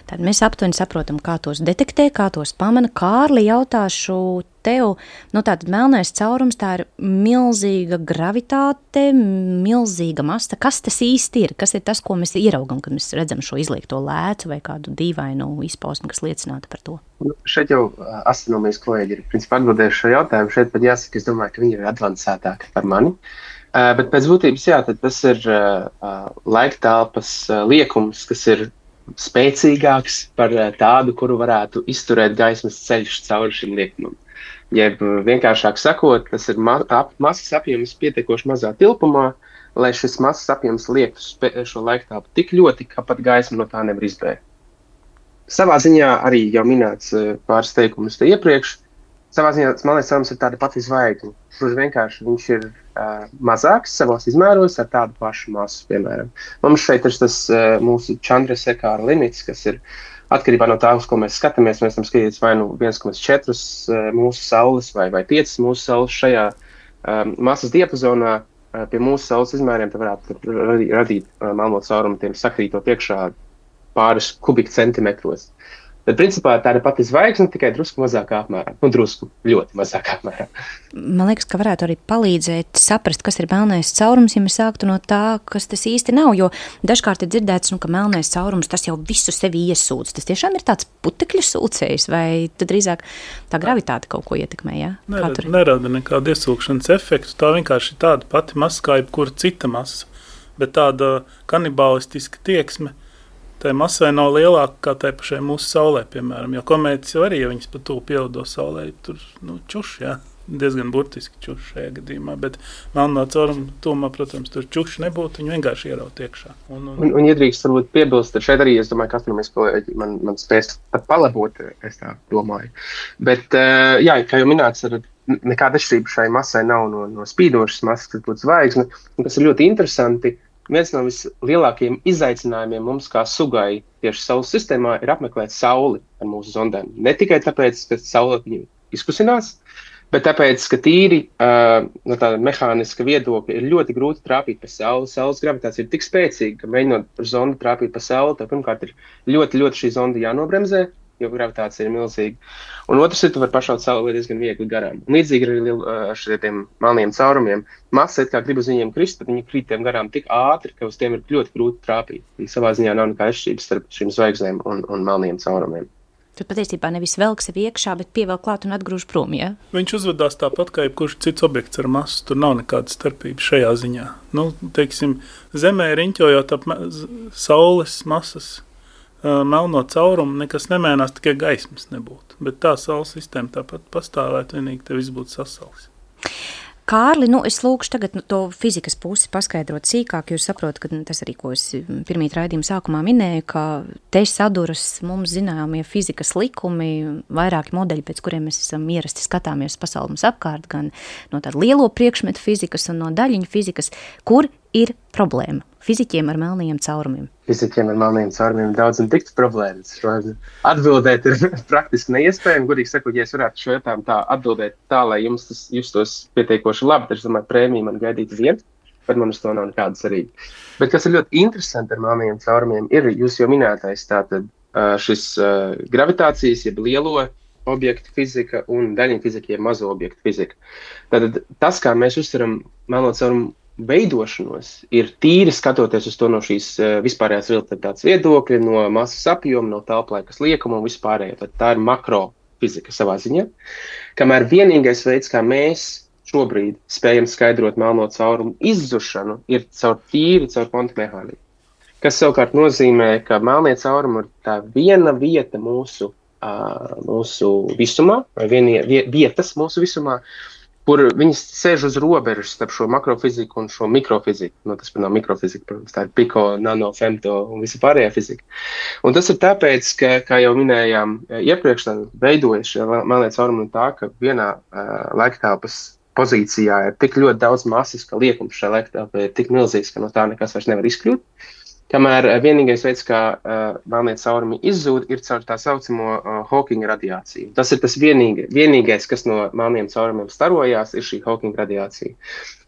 Tad mēs aptuveni saprotam, kā tos detektē, kā tos pamana. Kārli, jautāšu tev, tātad melnais caurums, tā ir milzīga gravitāte, milzīga masa. Kas tas īsti ir? Kas ir tas, ko mēs ieraugam, kad mēs redzam šo izliekto lēcu vai kādu dīvainu izpausmi, kas liecinātu par to? Šeit jau astronomijas kolēģi ir principā atbildējuši šo jautājumu. Šeit pat jāsaka, es domāju, ka viņi ir advancētāki par mani. Bet pēc būtības, tad tas ir laiktelpas liekums, kas ir spēcīgāks par tādu, kuru varētu izturēt gaismas ceļš cauri šim liekumam. Jeb vienkāršāk sakot, tas ir masas apjoms pietiekoši mazā tilpumā, lai šis masas apjoms liektu šo laiktelpu tik ļoti, ka pat gaisma no tā nevar izbēgt. Savā ziņā arī jau minēts pāris teikumus te iepriekš. Savā ziņā melnais caurums ir tāda pati zvaigzne. Vienkārši viņš ir mazāks savos izmēros ar tādu pašu masu, piemēram. Mums šeit ir tas mūsu Chandrasekhara limits, kas ir atkarībā no tā, uz ko mēs skatāmies. Mēs tam skatīties vai 1,4 mūsu saules vai 5 mūsu saules šajā masas diapazonā. Pie mūsu saules izmēriem te varētu radīt melno caurumu tiem sakrītot iekšā pāris kubikcentimetros. Tad, principā, tā ir pati zvaigzne, tikai drusku mazākā apmērā. Drusku ļoti mazākā apmērā. Man liekas, ka varētu arī palīdzēt saprast, kas ir melnais caurums, ja mēs sāktu no tā, kas tas īsti nav. Jo dažkārt ir dzirdēts, ka melnais caurums tas jau visu sevi iesūdz. Tas tiešām ir tāds putekļu sūcējs, vai tad drīzāk tā gravitāte kaut ko ietekmē? Ja? Nerada nekādu iesūkšanas efektu. Tā vienkārši ir tāda pati masa, kā jebkura cita masa. Bet tāda kanibālistiska tieksme tai masai nav lielāka kā tai pašai mūsu saulē, piemēram. Jo komētas jau arī, ja viņas pa tuvu pielido saulē, tur čuš, jā, diezgan burtiski čuš šajā gadījumā. Bet melnā cauruma tūmā, protams, tur čuš nebūtu, viņi vienkārši ieraut iekšā. Un iedrīkst varbūt piebilst, šeit arī, es domāju, ka astronomijas kolēģi man spēs pat palabot, es tā domāju. Bet, jā, kā jau minēts, nekāda atšķirība šai masai nav no spīdošas masas, kas būtu zvaigzne. Un kas ir ļoti interesanti, viens no vislielākajiem izaicinājumiem mums kā sugai tieši Saules sistēmā ir apmeklēt Sauli ar mūsu zondēm. Ne tikai tāpēc, ka Saule viņu izkusinās, bet tāpēc, ka tīri no tāda mehāniska viedokļa ir ļoti grūti trāpīt pa Sauli. Saules gravitācija ir tik spēcīga, ka mēģinot ar zondi trāpīt pa Sauli, tad pirmkārt ir ļoti, ļoti šī zonda jānobremzē, jo gravitācija ir milzīga. Un otrs ir, tu var pašaut Sauli diezgan viegli garām. Līdzīgi arī ar šiem melniem caurumiem. Masa it kā grib uz viņiem krist, bet viņi krīt tiem garām tik ātri, ka uz tiem ir ļoti grūti trāpīt. Savā ziņā nav nekā atšķirības starp šīm zvaigznēm un melniem caurumiem. Tad patiesībā nevis velk sevi iekšā, bet pievelk klāt un atgrūž prom, ja? Viņš uzvedās tāpat kā jebkurš cits objekts ar masu. Tur nav nekāda starpība šajā ziņā. Teiksim, Zemē riņķojot ap Saules masas melno caurumu, nekas nemainās, tikai gaismas nebūtu. Bet tā Saules sistēma tāpat pastāvētu, vienīgi te viss būtu sasalis. Kārli, es lūkšu tagad to fizikas pusi paskaidrot sīkāk, jo saprotu, ka tas arī, ko es pirmīt raidījuma sākumā minēju, ka te saduras mums zināmie fizikas likumi, vairāki modeļi, pēc kuriem mēs esam ierasti skatāmies pasauli mums apkārt, gan no tāda lielo priekšmetu fizikas un no daļiņu fizikas, kur ir problēma fiziķiem ar melnajiem caurumiem. Fiziķiem ar melnajiem caurumiem daudz un tikts problēmas. Atbildēt ir praktiski neiespējami. Gudīgi sakot, ja es varētu šo jautājumu tā atbildēt tā, lai jums tas justos pietiekoši labi, tad es domāju, prēmiju man gaidīt vien, bet man uz to nav nekāda cerība. Bet kas ir ļoti interesanti ar melnajiem caurumiem, ir jūs jau minētais tātad šis gravitācijas, jeb lielo objektu fizika un daļiņu fizika, jeb mazo objektu fizika. Tātad tas, kā mēs uztveram melno caurumu veidošanos, ir tīri skatoties uz to no šīs vispārējās relativitātes viedokļa, no masas apjoma, no telplaikas liekuma un vispārējā. Tad tā ir makrofizika savā ziņā. Kamēr vienīgais veids, kā mēs šobrīd spējam skaidrot melno caurumu izzušanu, ir caur kvantu mehāniku. Kas savukārt nozīmē, ka melnie caurumi ir tā viena vieta mūsu visumā, vai vietas mūsu visumā, kur viņas sēž uz robežas starp šo makrofiziku un šo mikrofiziku. Tas nav mikrofizika, protams, tā ir piko, nano, femto un visa pārējā fizika. Un tas ir tāpēc, ka, kā jau minējām iepriekš, veidojas šie melnie caurumi no tā, ka vienā laiktelpas pozīcijā ir tik ļoti daudz masas, ka liekums šajā laiktelpā ir tik milzīgs, ka no tā nekas vairs nevar izkļūt. Kamēr vienīgais veids, kā melnie caurumi izzūd, ir caur tā saucamo Hawkinga radiāciju. Tas ir tas vienīgais, kas no melniem caurumiem starojās, ir šī Hawkinga radiācija.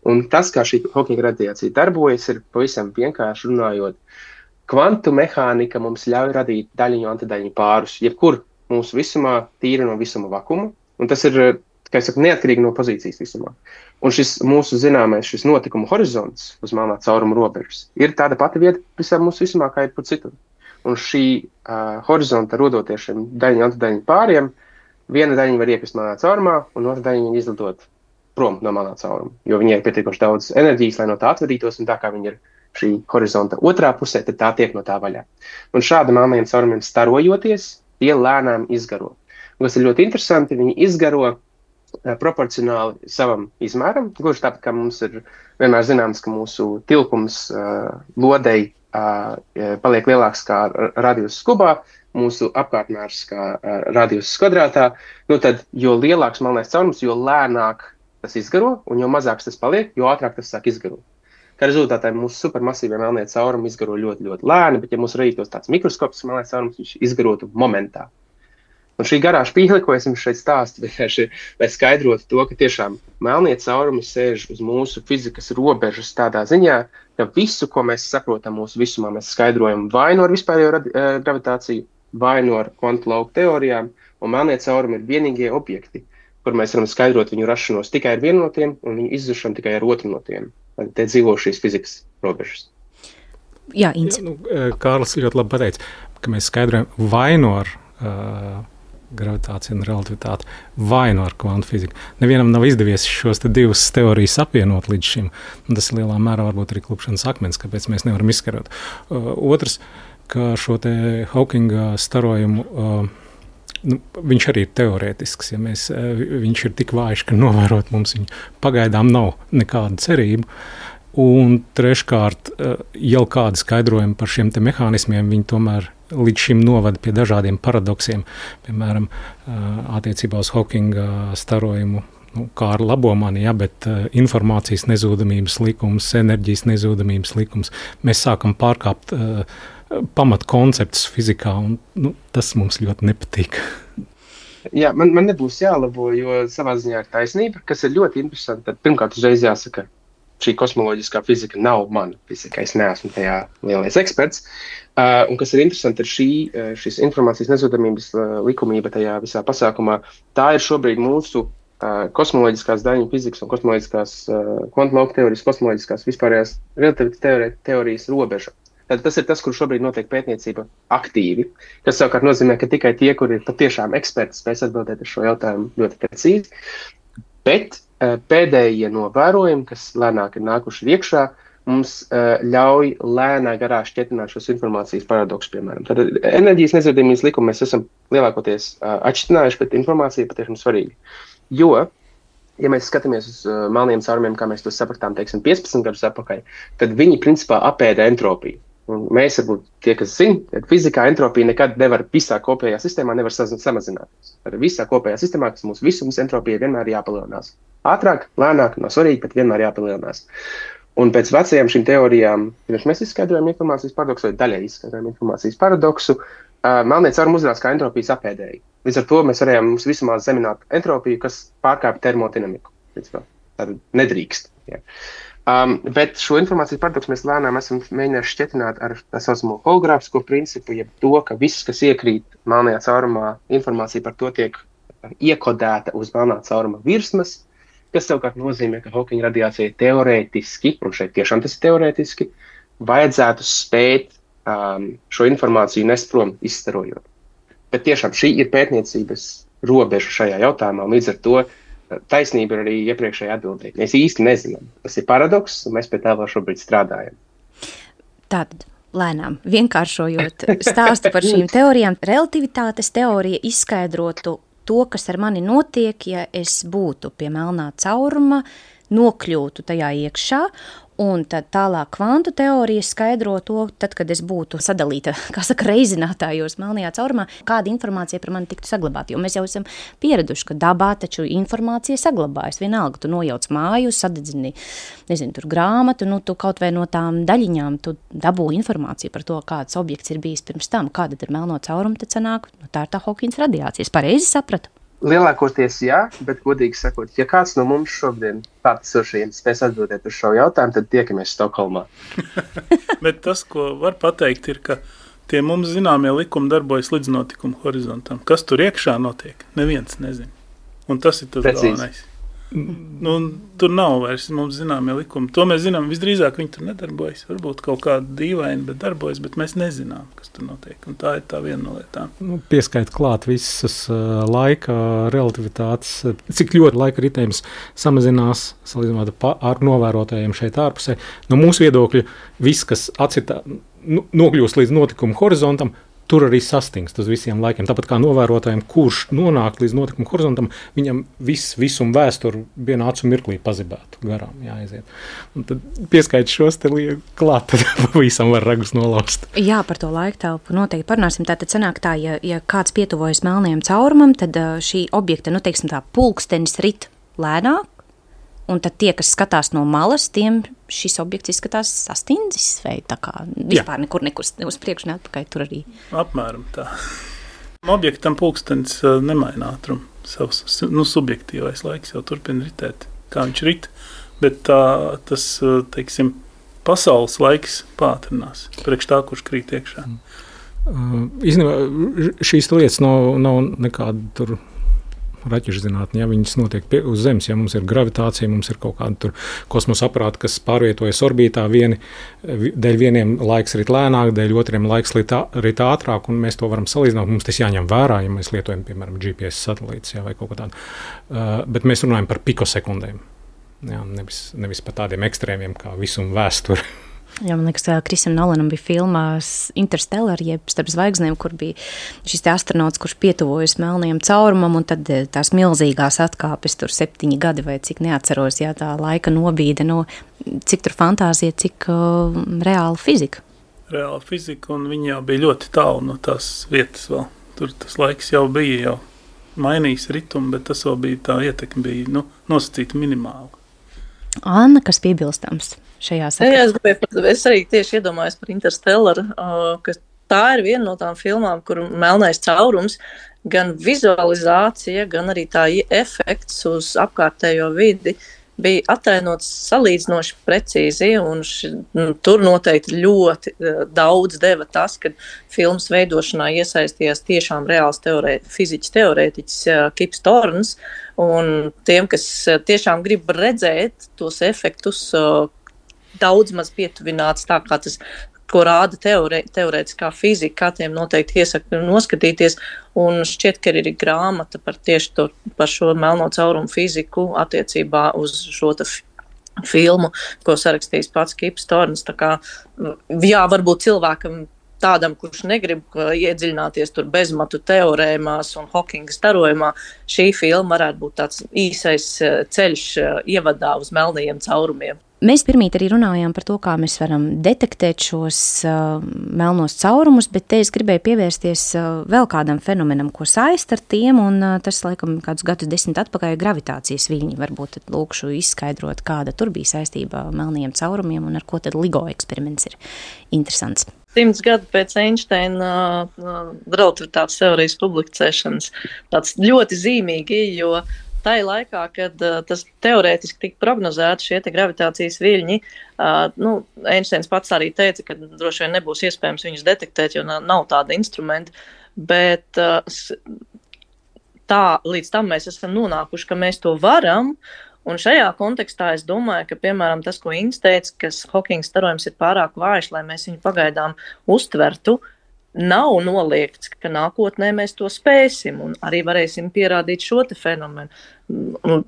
Un tas, kā šī Hawkinga radiācija darbojas, ir pavisam vienkārši runājot. Kvantu mehānika mums ļauj radīt daļiņu antidaļiņu pārus, jebkur mūsu visumā, tīri no visuma vakuma. Un tas ir, kā es saku, neatkarīgi no pozīcijas visumā. Un šis mūsu zināmais, šis notikuma horizonts uz melnā cauruma robežas ir tāda pati vieta visā mūsu visumā, kā ir par citur. Un šī horizonta rodoties šiem daļiņu antidaļiņu pāriem, viena daļiņa var iekrist melnā caurumā, un otra daļiņa izlidot prom no melnā cauruma, jo viņai ir pietiekoši daudz enerģijas, lai no tā atvadītos, un tā kā viņa ir šī horizonta otrā pusē, tad tā tiek no tā vaļā. Un šādi melnajiem caurumiem starojoties, tie lēnām izgaro. Un kas ir ļoti interesanti, viņi izgaro proporcionāli savam izmēram. Gluži tāpat, kā mums ir vienmēr zināms, ka mūsu tilpums lodei paliek lielāks kā radius kubā, mūsu apkārtmērs kā radius kvadrātā, tad jo lielāks melnais caurums, jo lēnāk tas izgaro, un jo mazāks tas paliek, jo ātrāk tas sāk izgarot. Kā rezultātā mūsu supermasīvie melnie caurumi izgaro ļoti, ļoti lēni, bet ja mums radītos tāds mikroskops melnais caurums, viņš izgarotu momentā. Un šī garā špīle, ko es jums šeit stāstu, lai skaidrotu to, ka tiešām melnie caurumi sēž uz mūsu fizikas robežas tādā ziņā, ka visu, ko mēs saprotam mūsu visumā, mēs skaidrojam vai no ar vispārējo gravitāciju, vai no ar kvantu lauku teorijām, un melnie caurumi ir vienīgie objekti, kur mēs varam skaidrot viņu rašanos tikai ar vienu no tiem, un viņu izzušanu tikai ar otru no tiem. Te dzīvo šīs fizikas robežas. Jā, Ince. Kārlis ļoti labi pateica, ka mēs skaidrojam vai no ar gravitācija un relativitāte, vai no ar kvantu fiziku. Nevienam nav izdevies šos divas teorijas apvienot līdz šim. Tas ir lielā mērā varbūt arī klupšanas akmens, kāpēc mēs nevaram izskarot. Otrs, ka šo te Hawkinga starojumu, viņš arī ir teorētisks. Ja viņš ir tik vājš, ka novērot mums viņu pagaidām nav nekāda cerība. Un treškārt, jau kādi skaidrojumi par šiem te mehānismiem, viņi tomēr līdz šim novada pie dažādiem paradoksiem, piemēram, attiecībā uz Hawkinga starojumu kā ar labo mani, bet informācijas nezūdamības likums, enerģijas nezūdamības likums, mēs sākam pārkāpt pamatkonceptus fizikā, un tas mums ļoti nepatīk. Jā, man nebūs jālabo, jo savā ziņā ir taisnība, kas ir ļoti interesanti. Tad pirmkārt uzreiz jāsaka, šī kosmoloģiskā fizika nav mana fizika, es neesmu tajā lielais eksperts. Un kas ir interesanti, ir šīs informācijas nezūdamības likumība tajā visā pasākumā. Tā ir šobrīd mūsu kosmoloģiskās daļiņu fizikas un kosmoloģiskās kvantumlauku teorijas, kosmoloģiskās vispārējās relativitātes teorijas robeža. Tad tas ir tas, kur šobrīd notiek pētniecība aktīvi, kas savukārt nozīmē, ka tikai tie, kuri ir patiešām eksperti, spēs atbildēt uz šo jautājumu ļoti precīzi. Bet pēdējie novērojumi, kas lēnāk ir nākuši iekšā, mums ļauj lēnā garā šķietināt šos informācijas paradoksus, piemēram. Tad enerģijas nezūdamības likumu mēs esam lielākoties atšķitinājuši, bet informācija ir patiešām svarīga. Jo, ja mēs skatāmies uz melniem caurumiem, kā mēs to sapratām, teiksim, 15 gadus atpakaļ, tad viņi principā apēda entropiju. Un mēs, varbūt tie, kas zina, ka fizikā entropija nekad nevar visā kopējā sistēmā nevar samazināties. Tad visā kopējā sistēmā, kas mūsu visums, entropija vienmēr jāpalielinās. Ātrāk, lēnāk, nav svarīgi, bet vienmēr jāpalielinās. Un pēc vecajām šīm teorijām, pirms mēs izskaidrojam informācijas paradoksu vai daļai izskaidrojam informācijas paradoksu, melnie caurumi uzrādās kā entropijas apēdēji. Līdz ar to mēs varējām mums visumā zemināt entropiju, kas pārkāpj termodinamiku. Tad nedrīkst. Ja. Bet šo informācijas paradoksu mēs lēnām esam mēģinājuši šķietināt ar tā saucamo hologrāfisko principu, jeb to, ka viss, kas iekrīt melnajā caurumā, informācija par to tiek iekodēta uz melnā cauruma virsmas, kas savukārt nozīmē, ka Hawkinga radiācija teorētiski, un šeit tiešām tas ir teorētiski, vajadzētu spēt šo informāciju nest prom izstarojot. Bet tiešām šī ir pētniecības robeža šajā jautājumā, un līdz ar to taisnība ir arī iepriekšējā atbildē. Mēs īsti nezinām. Tas ir paradoks, un mēs pie tā vēl šobrīd strādājam. Tātad, lēnām, vienkāršojot stāstu par šīm teorijām, relativitātes teorija izskaidrotu to, kas ar mani notiek, ja es būtu pie melnā cauruma, nokļūtu tajā iekšā, un tad tālāk kvantu teorija skaidro to, tad, kad es būtu sadalīta, kā saka, reizinātājos melnajā caurumā, kāda informācija par mani tiktu saglabāta. Jo mēs jau esam pieraduši, ka dabā taču informācija saglabājas. Vienalga, tu nojauc māju, sadedzini, nezinu, tur grāmatu, tu kaut vai no tām daļiņām tu dabū informāciju par to, kāds objekts ir bijis pirms tam, kāda ir melno caurumu, tad sanāk, tā ir tā Hawkinga radiācija. Es pareizi sapratu? Lielākoties jā, bet godīgi sakot, ja kāds no mums šodien klātesošajiem spēs atbildēt uz šo jautājumu, tad tiekamies Stokholmā. Bet tas, ko var pateikt, ir, ka tie mums zināmie likumi darbojas līdz notikuma horizontam. Kas tur iekšā notiek? Neviens nezina. Un tas ir tas galvenais. Tur nav vairs mums zināmie likumi. To mēs zinām, visdrīzāk viņi tur nedarbojas. Varbūt kaut kāda dīvaina, bet darbojas, bet mēs nezinām, kas tur notiek. Un tā ir tā viena no lietām. Pieskait klāt visas laika relativitātes, cik ļoti laika ritējums samazinās, salīdzinot ar novērotājiem šeit ārpusē. No mūsu viedokļa viss, kas atcitā, nokļūst līdz notikuma horizontam, tur arī sastingst uz visiem laikiem. Tāpat kā novērotājiem, kurš nonāk līdz notikuma horizontam, viņam visum vēsturi vienā acu mirklī pazibētu garām jāaiziet. Un tad pieskait šos te klāt, tad pavisam var ragus nolaust. Jā, par to laiktelpu noteikti parunāsim. Tātad sanāk tā, ja kāds pietuvojas melnajam caurumam, tad šī objekta, teiksim tā, pulkstenis rit lēnāk, un tad tie, kas skatās no malas, tiem šis objekts izskatās sastindzis vai tā kā vispār nekur uz priekšu neatpakaļ tur arī. Apmēram tā. Objektam pulkstenis nemaina ātrumu. Savs subjektīvais laiks jau turpina ritēt, kā viņš rit, bet tas, teiksim, pasaules laiks pātrinās priekš tā, kurš krīt iekšā. Īstenībā šīs lietas nav nekāda tur raķešu zinātne, ja viņas notiek uz Zemes, ja mums ir gravitācija, mums ir kaut kāda tur kosmosa aparāti, kas pārvietojas orbītā, dēļ vieniem laiks rit lēnāk, dēļ otriem laiks rit ātrāk, un mēs to varam salīdzināt, mums tas jāņem vērā, ja mēs lietojam, piemēram, GPS satelītus, vai kaut ko tādu. Bet mēs runājam par pikosekundēm, nevis par tādiem ekstrēmiem kā visuma vēsture. Jā, man liekas, Krisam Nolanam bija filmā Interstellar, jeb Starp zvaigznēm, kur bija šis astronauts, kurš pietuvojas melnajam caurumam, un tad tās milzīgās atkāpes tur 7 gadi vai cik neatceros, jā, tā laika nobīde, cik tur fantāzija, cik reāla fizika. Reāla fizika, un viņi jau bija ļoti tālu no tās vietas vēl. Tur tas laiks jau bija mainījis ritumu, bet tas vēl bija tā ietekme bija nosacīta minimāla. Anna, kas piebilstams šajā sakarā? Es arī tieši iedomājos par Interstellar, ka tā ir viena no tām filmām, kur melnais caurums, gan vizualizācija, gan arī tā efekts uz apkārtējo vidi bija attēlots salīdzinoši precīzi, un tur noteikti ļoti daudz deva tas, kad filmas veidošanā iesaistījās tiešām reāls fizikas teorētiķis Kips Thorns, un tiem, kas tiešām grib redzēt tos efektus daudz maz pietuvināts tā, kā tas, ko rāda teorētiskā fizika, kā tiem noteikti iesaku noskatīties, un šķiet, ka ir grāmata par šo melno caurumu fiziku attiecībā uz šo filmu, ko sarakstījis pats Kips Thorns. Tā kā, jā, varbūt cilvēkam tādam, kurš negrib iedziļināties tur bezmatu teorēmās un Hawkinga starojumā, šī filma varētu būt tāds īsais ceļš ievadā uz melnajiem caurumiem. Mēs pirmīt arī runājām par to, kā mēs varam detektēt šos melnos caurumus, bet te es gribēju pievērsties vēl kādam fenomenam, ko saist ar tiem, un tas, laikam, kādus gadus 10 atpakaļ gravitācijas viļņi. Varbūt tad lūkšu izskaidrot, kāda tur bija saistība melnajiem caurumiem un ar ko tad LIGO eksperiments ir interesants. 100 gadu pēc Einsteina relativitātes teorijas publicēšanas tāds ļoti zīmīgi, jo tajā laikā, kad tas teorētiski tika prognozēts šie gravitācijas viļņi, Einsteins pats arī teica, ka droši vien nebūs iespējams viņus detektēt, jo nav tāda instrumenta, bet tā līdz tam mēs esam nonākuši, ka mēs to varam, un šajā kontekstā es domāju, ka, piemēram, tas, ko Inns teica, ka Hawkinga starojums ir pārāk vājš, lai mēs viņu pagaidām uztvertu, nav noliegts, ka nākotnē mēs to spēsim un arī varēsim pierādīt šo te fenomenu. Un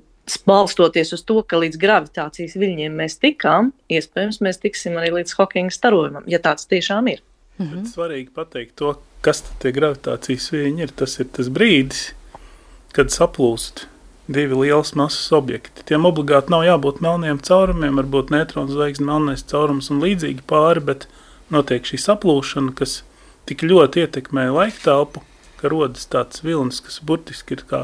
balstoties uz to, ka līdz gravitācijas viļņiem mēs tikām, iespējams, mēs tiksim arī līdz Hawkinga starojumam, ja tāds tiešām ir. Bet svarīgi pateikt to, kas tad tie gravitācijas viļņi ir. Tas ir tas brīdis, kad saplūst divi lielas masas objekti. Tiem obligāti nav jābūt melniem caurumiem, varbūt neutronu zvaigznes, melnais caurums un līdzīgi pāri, bet notiek šī saplūšana, kas tik ļoti ietekmē laiktelpu, ka rodas tāds vilnis, kas burtiski ir kā,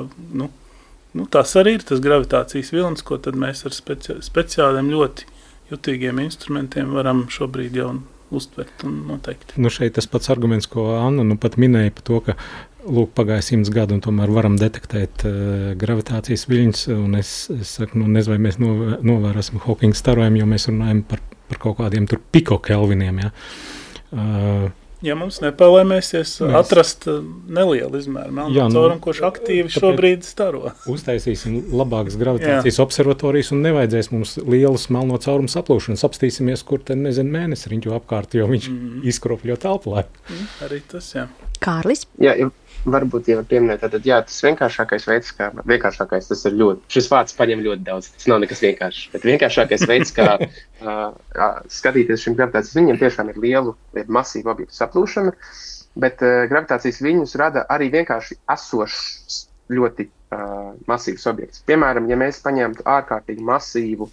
tās arī ir tas gravitācijas vilnis, ko tad mēs ar speciāliem ļoti jutīgiem instrumentiem varam šobrīd jau uztvert un noteikt. Šeit tas pats arguments, ko Anna pat minēja par to, ka pagāja 100 gadu un tomēr varam detektēt gravitācijas viļņus, un es saku, nezinu, vai mēs novērosim Hawkinga starojumu, jo mēs runājam par kaut kādiem tur pikokelviniem, ja. Ja mums nepalēmēsies atrast nelielu izmēru melno caurumu, kurš aktīvi šobrīd staro. Uztaisīsim labākas gravitācijas observatorijas un nevajadzēs mums lielus melno caurumu saplūšanas. Apstīsimies, kur te, mēnesi riņķo apkārt, jo viņš izkropļo telpu. Arī tas, jā. Kārlis? Jā, varbūt jau var pieminēt, tad tas vienkāršākais veids, tas ir šis vārds paņem ļoti daudz, tas nav nekas vienkāršs, bet vienkāršākais veids, kā skatīties šim gravitācijas viļņiem, tiešām ir lielu masīvu objektu saplūšana, bet gravitācijas viļņus rada arī vienkārši esošs ļoti masīvs objekts. Piemēram, ja mēs paņemtu ārkārtīgi masīvu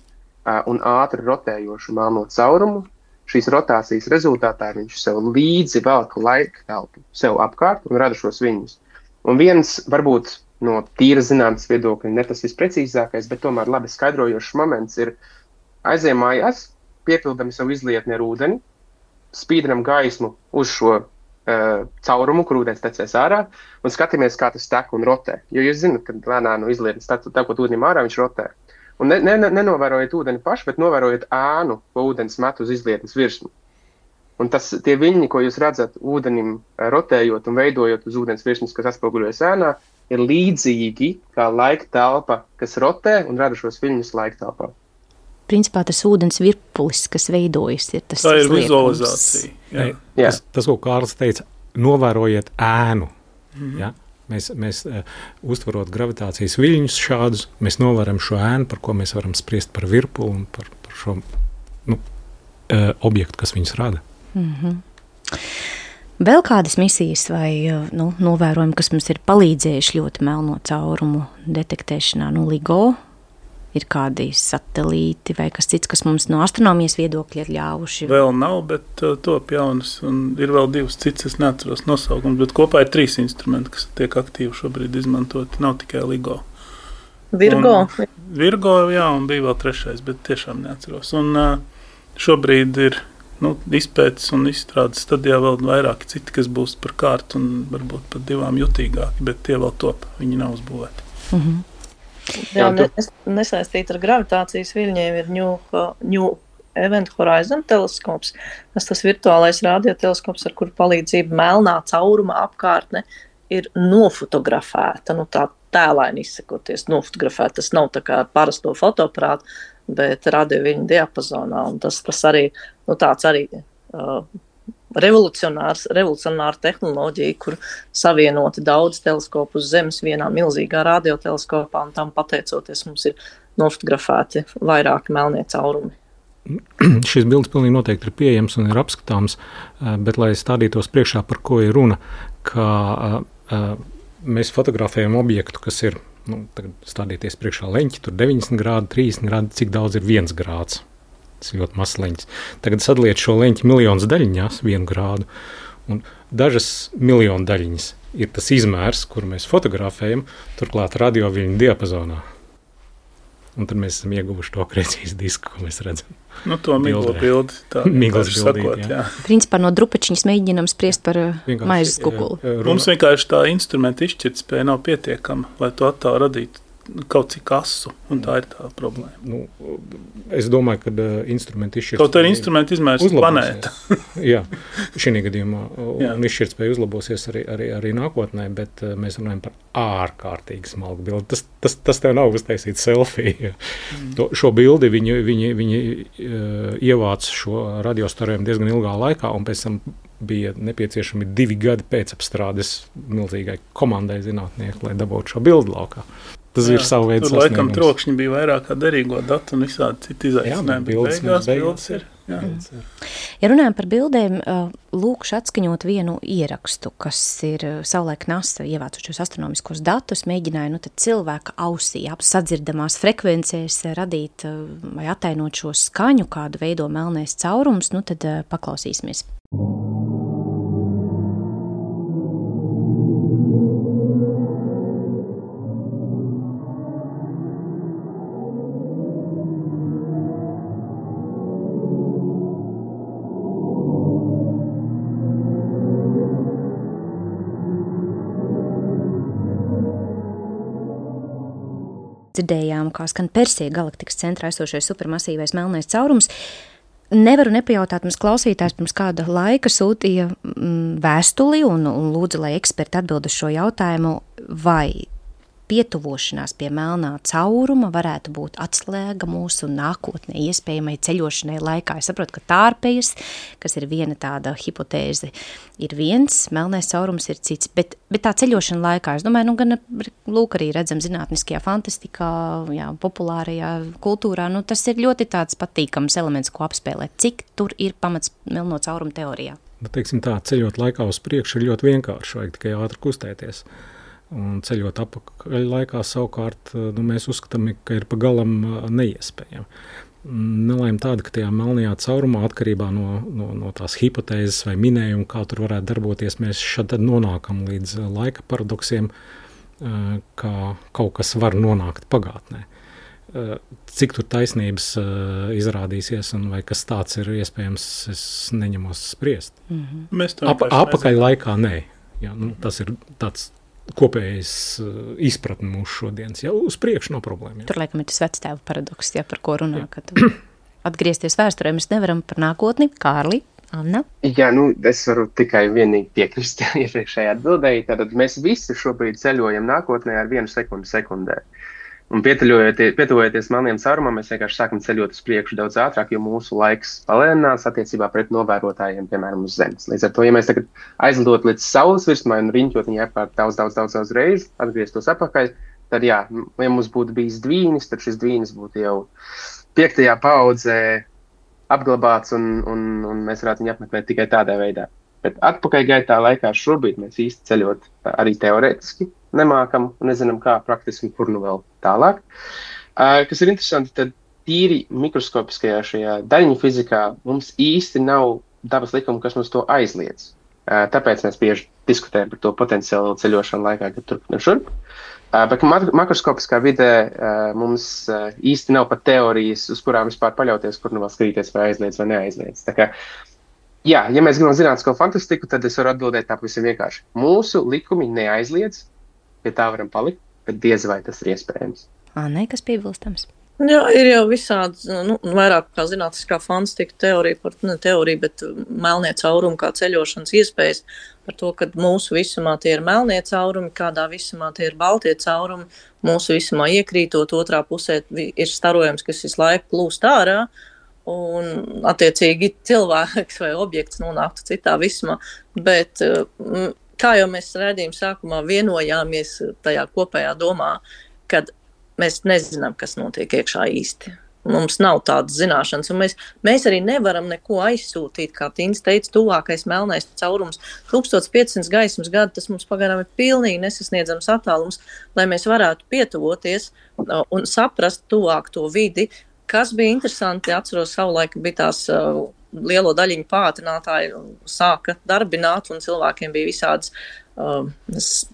un ātri rotējošu melno caurumu, šīs rotācijas rezultātā viņš sev līdzi velk laika telpu sev apkārt un rada šos viļņus. Un viens, varbūt no tīra zinātnes viedokļa, ne tas visprecīzākais, bet tomēr labi skaidrojošs moments ir aizējām mājās, piepildam savu izlietni ar ūdeni, spīdinam gaismu uz šo caurumu, kur ūdens tecēs ārā, un skatāmies, kā tas tek un rotē. Jo jūs zināt, kad lēnā no izlietnes tekot ūdenim ārā, viņš rotē. Un nenovērojiet ūdeni paši, bet novērojiet ēnu, ko ūdens met uz izlietnes virsmu. Un tie viļņi, ko jūs redzat ūdenim rotējot un veidojot uz ūdens virsmas, kas atspoguļojas ēnā, ir līdzīgi kā laika telpa, kas rotē un rada šos viļņus laika telpā. Principā tas ūdens virpulis, kas veidojas, ir tas tā ir vizualizācija. Jā. Tas, ko Kārlis teica, novērojiet ēnu. Ja? Mēs uztverot gravitācijas viļņus šādus, mēs novaram šo ēnu, par ko mēs varam spriest par virpuli un par šo objektu, kas viņus rada. Vēl kādas misijas vai novērojumi, kas mums ir palīdzējuši ļoti melno caurumu detektēšanā, LIGO ir kādi satelīti vai kas cits, kas mums no astronomijas viedokļa ir ļāvuši? Vēl nav, bet top jaunas, un ir vēl 2 cits, es neatceros nosaukums, bet kopā ir 3 instrumenti, kas tiek aktīvi šobrīd izmantoti, nav tikai LIGO. Virgo. Virgo, jā, un bija vēl 3, bet tiešām neatceros. Un šobrīd ir izpētes un izstrādes stadijā vēl vairāki citi, kas būs par kārtu un varbūt pat 2 jutīgāki, bet tie vēl top, viņi nav uzbūvēti. Jā, nesaistīt ar gravitācijas viļņiem ir New Event Horizon teleskops, tas virtuālais radioteleskops, ar kuru palīdzību melnā cauruma apkārtne ir nofotografēta, tā tēlaini izsakoties nofotografēta. Tas nav tā kā parasto fotoaparātu, bet radioviļņu diapazonā, un tas arī, tāds arī revolucionāra tehnoloģija, kur savienoti daudz teleskopu uz Zemes vienā milzīgā radioteleskopā, un tam pateicoties mums ir nofotografēti vairāki melnie caurumi. Šis bildes pilnīgi noteikti ir pieejams un ir apskatāms, bet lai stādītos priekšā, par ko ir runa, ka mēs fotografējam objektu, kas ir, tagad stādīties priekšā leņķi, tur 90 grādi, 30 grādi, cik daudz ir 1 grāds. Tas ir ļoti mazs leņķis. Tagad sadaliet šo leņķi miljonus daļiņās, 1 grādu, un dažas miljonu daļiņas ir tas izmērs, kuru mēs fotografējam, turklāt radioviļņu diapazonā. Un tad mēs esam ieguvuši to akrecijas disku, ko mēs redzam. To miglo bildi. Miglas bildīt, jā. Principā no drupačiņas mēģinam spriest par maizes kukuli. Mums vienkārši tā instrumenta izšķirtspēja nav pietiekama, lai to attēlu radītu kaut cik asu, un tā ir tā problēma. Es domāju, ka instrumenti izšķirtspēja... Kaut arī instrumenti izmērs planēta. Jā, šī gadījumā, un izšķirtspēja uzlabosies arī nākotnē, bet mēs runājam par ārkārtīgi smalku bildi. Tas tev nav uztaisīt selfiju. Šo bildi viņi ievāc šo radiostarojumu diezgan ilgā laikā, un pēc tam bija nepieciešami 2 gadi pēc apstrādes milzīgai komandai zinātnieku, lai dabūtu šo bildi laukā. Tas ir savu veidu sasniegums. Tur laikam trokšņi bija vairāk kā derīgo datu un visādi citi izaicinājumi. Bildes ir. Ja runājam par bildēm, lūkšu atskaņot vienu ierakstu, kas ir savulaik NASA ievācušos astronomiskos datus, mēģināja cilvēka ausī sadzirdamās frekvencēs radīt vai attainot šo skaņu, kādu veido melnais caurums, tad paklausīsimies. Dzirdējām, kā skan Persija galaktikas centrā esošais supermasīvais melnais caurums. Nevaru nepajautāt, mums klausītājs pirms kāda laika sūtīja vēstuli un lūdza, lai eksperti atbild uz šo jautājumu, vai pietuvošanās pie melnā cauruma varētu būt atslēga mūsu nākotnē iespējamai ceļošanai laikā. Es saprotu, ka tārpejas, kas ir viena tāda hipotēze, ir viens, melnais caurums ir cits, bet tā ceļošana laikā, es domāju, gan lūk arī redzam zinātniskajā fantastikā, populārajā kultūrā, tas ir ļoti tāds patīkams elements, ko apspēlēt. Cik tur ir pamats melno caurumu teorijā? Teiksim tā, ceļot laikā uz priekšu ir ļoti vienkārši, vajag tikai ātri kustēties. Un ceļot apakaļ laikā savukārt, mēs uzskatām, ka ir pagalam neiespējami. Nelaime tāda, ka tajā melnajā caurumā atkarībā no tās hipotēzes vai minējuma, kā tur varētu darboties, mēs šad nonākam līdz laika paradoksiem, kā kaut kas var nonākt pagātnē. Cik tur taisnības izrādīsies un vai kas tāds ir iespējams, es neņemos spriest. Apakaļ laikā nē. Jā, tas ir tāds kopējais izpratni mūsu šodienas. Uz priekšu nav problēma. Jā. Tur laikam ir tas vectēva paradoks, par ko runā, kad atgriezties vēsturē mēs nevaram par nākotni. Kārli, Anna? Jā, es varu tikai vienīgi piekrist iepriekšējā atbildēji. Tātad mēs visi šobrīd ceļojam nākotnē ar 1 sekundi sekundē. Un pietuvojoties melniem caurumam, mēs vienkārši sākam ceļot uz priekšu daudz ātrāk, jo mūsu laiks palēninās attiecībā pret novērotājiem, piemēram, uz Zemes. Līdz ar to, ja mēs tagad aizlidot līdz Saules virsmai un riņķot viņu apkārt daudz reizi, atgrieztos apakaļ, tad ja mums būtu bijis dvīnis, tad šis dvīnis būtu jau 5. paaudzē apglabāts un mēs varētu viņu apmeklēt tikai tādā veidā. Bet atpakaļ gaitā laikā šobrīd mēs īsti ceļot arī teorētiski nemākam un nezinām, kā praktiski un kur vēl tālāk. Kas ir interesanti, tad tīri mikroskopiskajā šajā daļiņu fizikā mums īsti nav dabas likuma, kas mums to aizliedz. Tāpēc mēs bieži diskutējam par to potenciālu ceļošanu laikā, kad turp un šurp. Bet makroskopiskā vidē mums īsti nav pat teorijas, uz kurām vispār paļauties, kur nu vēl skatīties vai aizliedz vai neaizliedz. Tā kā, jā, ja mēs gribam zinātnisko fantastiku, tad es varu atbildēt tā pavisam vienkārši. Mūsu likumi neaizliedz, pie tā varam palikt, bet diez vai tas ir iespējams. Nē, kas piebilstams? Jā, ir jau visādi, vairāk kā zinātniskā fantastika teorija, bet melnie caurumi kā ceļošanas iespējas par to, ka mūsu visumā tie ir melnie caurumi, kādā visumā tie ir baltie caurumi, mūsu visumā iekrītot otrā pusē ir starojums, kas visu laiku plūst ārā, un attiecīgi cilvēks vai objekts nonāktu citā visumā, bet kā jau mēs redzījām sākumā vienojāmies tajā kopējā domā, kad mēs nezinām, kas notiek iekšā īsti. Mums nav tādas zināšanas, un mēs arī nevaram neko aizsūtīt, kā Tīns teica, tuvākais melnais caurums. 1500 gaismas gadu, tas mums pagaidām ir pilnīgi nesasniedzams attālums, lai mēs varētu pietuvoties un saprast tuvāk to vidi. Kas bija interesanti, atceros savulaik, bija tās lielo daļiņu pātrinātāji sāka darbināt, un cilvēkiem bija visādas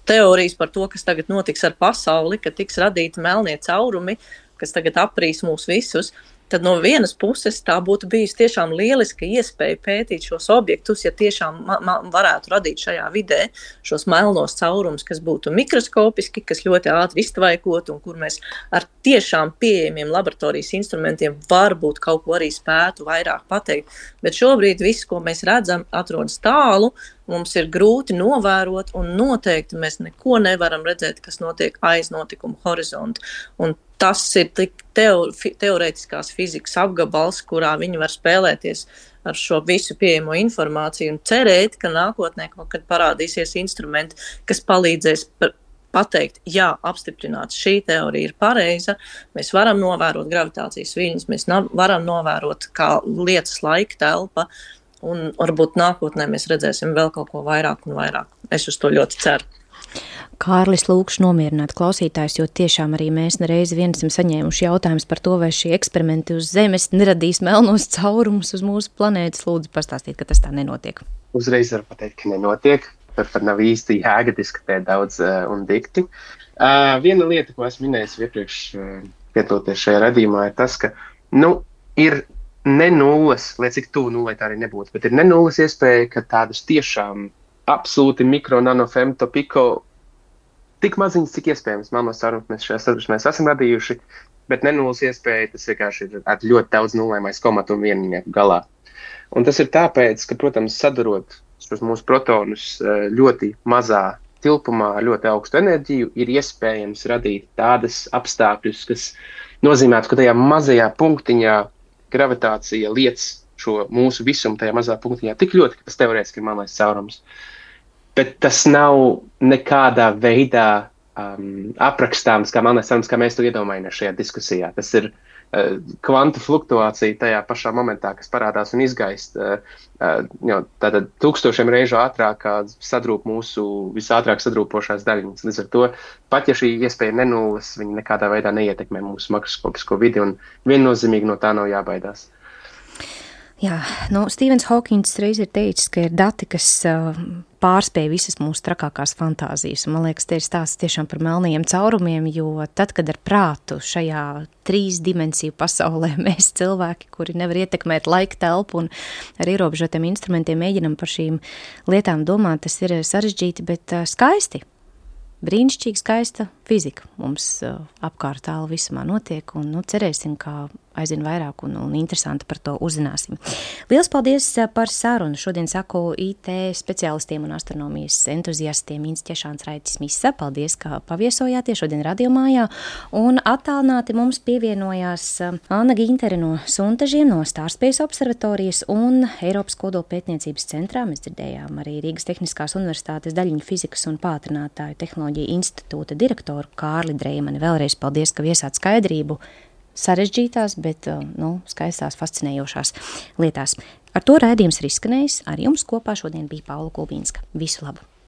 teorijas par to, kas tagad notiks ar pasauli, ka tiks radīti melnie caurumi, kas tagad aprīs mūs visus, tad no vienas puses tā būtu bijusi tiešām lieliska iespēja pētīt šos objektus, ja tiešām varētu radīt šajā vidē šos melnos caurumus, kas būtu mikroskopiski, kas ļoti ātri iztvaikot un kur mēs ar tiešām pieejamiem laboratorijas instrumentiem varbūt kaut ko arī spētu vairāk pateikt. Bet šobrīd viss, ko mēs redzam, atrodas tālu, mums ir grūti novērot un noteikti mēs neko nevaram redzēt, kas notiek aiz notikuma horizonta. Un tas ir tik teorētiskās fizikas apgabals, kurā viņi var spēlēties ar šo visu pieejamo informāciju un cerēt, ka nākotnē kaut kad parādīsies instrumenti, kas palīdzēs pateikt, jā, apstiprināt, šī teorija ir pareiza, mēs varam novērot gravitācijas viļņus, mēs varam novērot, kā lietas laika telpa, un varbūt nākotnē mēs redzēsim vēl kaut ko vairāk un vairāk. Es uz to ļoti ceru. Kārlis, lūkšu nomierināt klausītājs, jo tiešām arī mēs nereizi vien esam saņēmuši jautājumus par to, vai šie eksperimenti uz Zemes neradīs melnos caurumus uz mūsu planētas. Lūdzu, pastāstīt, ka tas tā nenotiek. Uzreiz var pateikt, ka nenotiek. Tur pat nav īsti jēga diskutēt daudz un dikti. Viena lieta, ko esmu minējis iepriekš piedaloties šajā radījumā, ir tas, ka ir ne nulles, lai cik tuvu nullei tā arī nebūtu, bet ir ne nulles iespēja, ka tādas tiešām absolūti mikro, nano, femto, piko, tik maziņas, cik iespējams melnos caurumus mēs šajā sadursmē esam radījuši, bet ne nulles iespēja, tas vienkārši ir ar ļoti daudz nullēm aiz komatu un viennieku galā. Un tas ir tāpēc, ka, protams, sadarot šos mūsu protonus ļoti mazā tilpumā ar ļoti augstu enerģiju, ir iespējams radīt tādas apstākļus, kas nozīmētu, ka tajā mazajā punktiņā gravitācija liec šo mūsu visumu tajā mazā punktiņā tik ļoti, ka tas teorētiski ir melnais caurums. Bet tas nav nekādā veidā aprakstāms kā melnais caurums, kā mēs to iedomājamies šajā diskusijā. Tas ir kvantu fluktuācija tajā pašā momentā, kas parādās un izgaist. Tātad 1000 reižu ātrāk sadrūp mūsu visātrāk sadrūpošās daļiņas. Līdz ar to, pat ja šī iespēja nenulles, viņa nekādā veidā neietekmē mūsu makroskopisko vidi un viennozīmīgi no tā nav jābaidās. Jā, Stīvens Hokings reiz ir teicis, ka ir dati, kas pārspēj visas mūsu trakākās fantāzijas. Un, man liekas, te ir stāsts tiešām par melnajiem caurumiem, jo tad, kad ar prātu šajā 3 dimensiju pasaulē mēs cilvēki, kuri nevar ietekmēt laika telpu un ar ierobežotiem instrumentiem mēģinam par šīm lietām domāt, tas ir sarežģīti, bet skaisti. Brīnišķīgi skaista fizika mums apkārt tālu visumā notiek un cerēsim, ka aizvien vairāk un interesanti par to uzzināsim. Liels paldies par sarunu. Šodien saku IT speciālistiem un astronomijas entuziastiem Inns Ķešāns, Raitis Misa. Paldies, ka paviesojāties šodien radiomājā. Un attālināti mums pievienojās Anna Gintere no Suntažiem, no Stārspace observatorijas un Eiropas kodolpētniecības centrā. Mēs dzirdējām arī Rīgas Tehniskās universitātes daļiņu fizikas un pātrinātāju tehnoloģiju institūta direktoru Kārli Dreimani. Vēlreiz paldies, ka viesāt skaidrību sarežģītās, bet skaistās, fascinējošās lietās. Ar to raidījums ir izskanējis. Ar jums kopā šodien bija Paula Gulbīnska. Visu labu!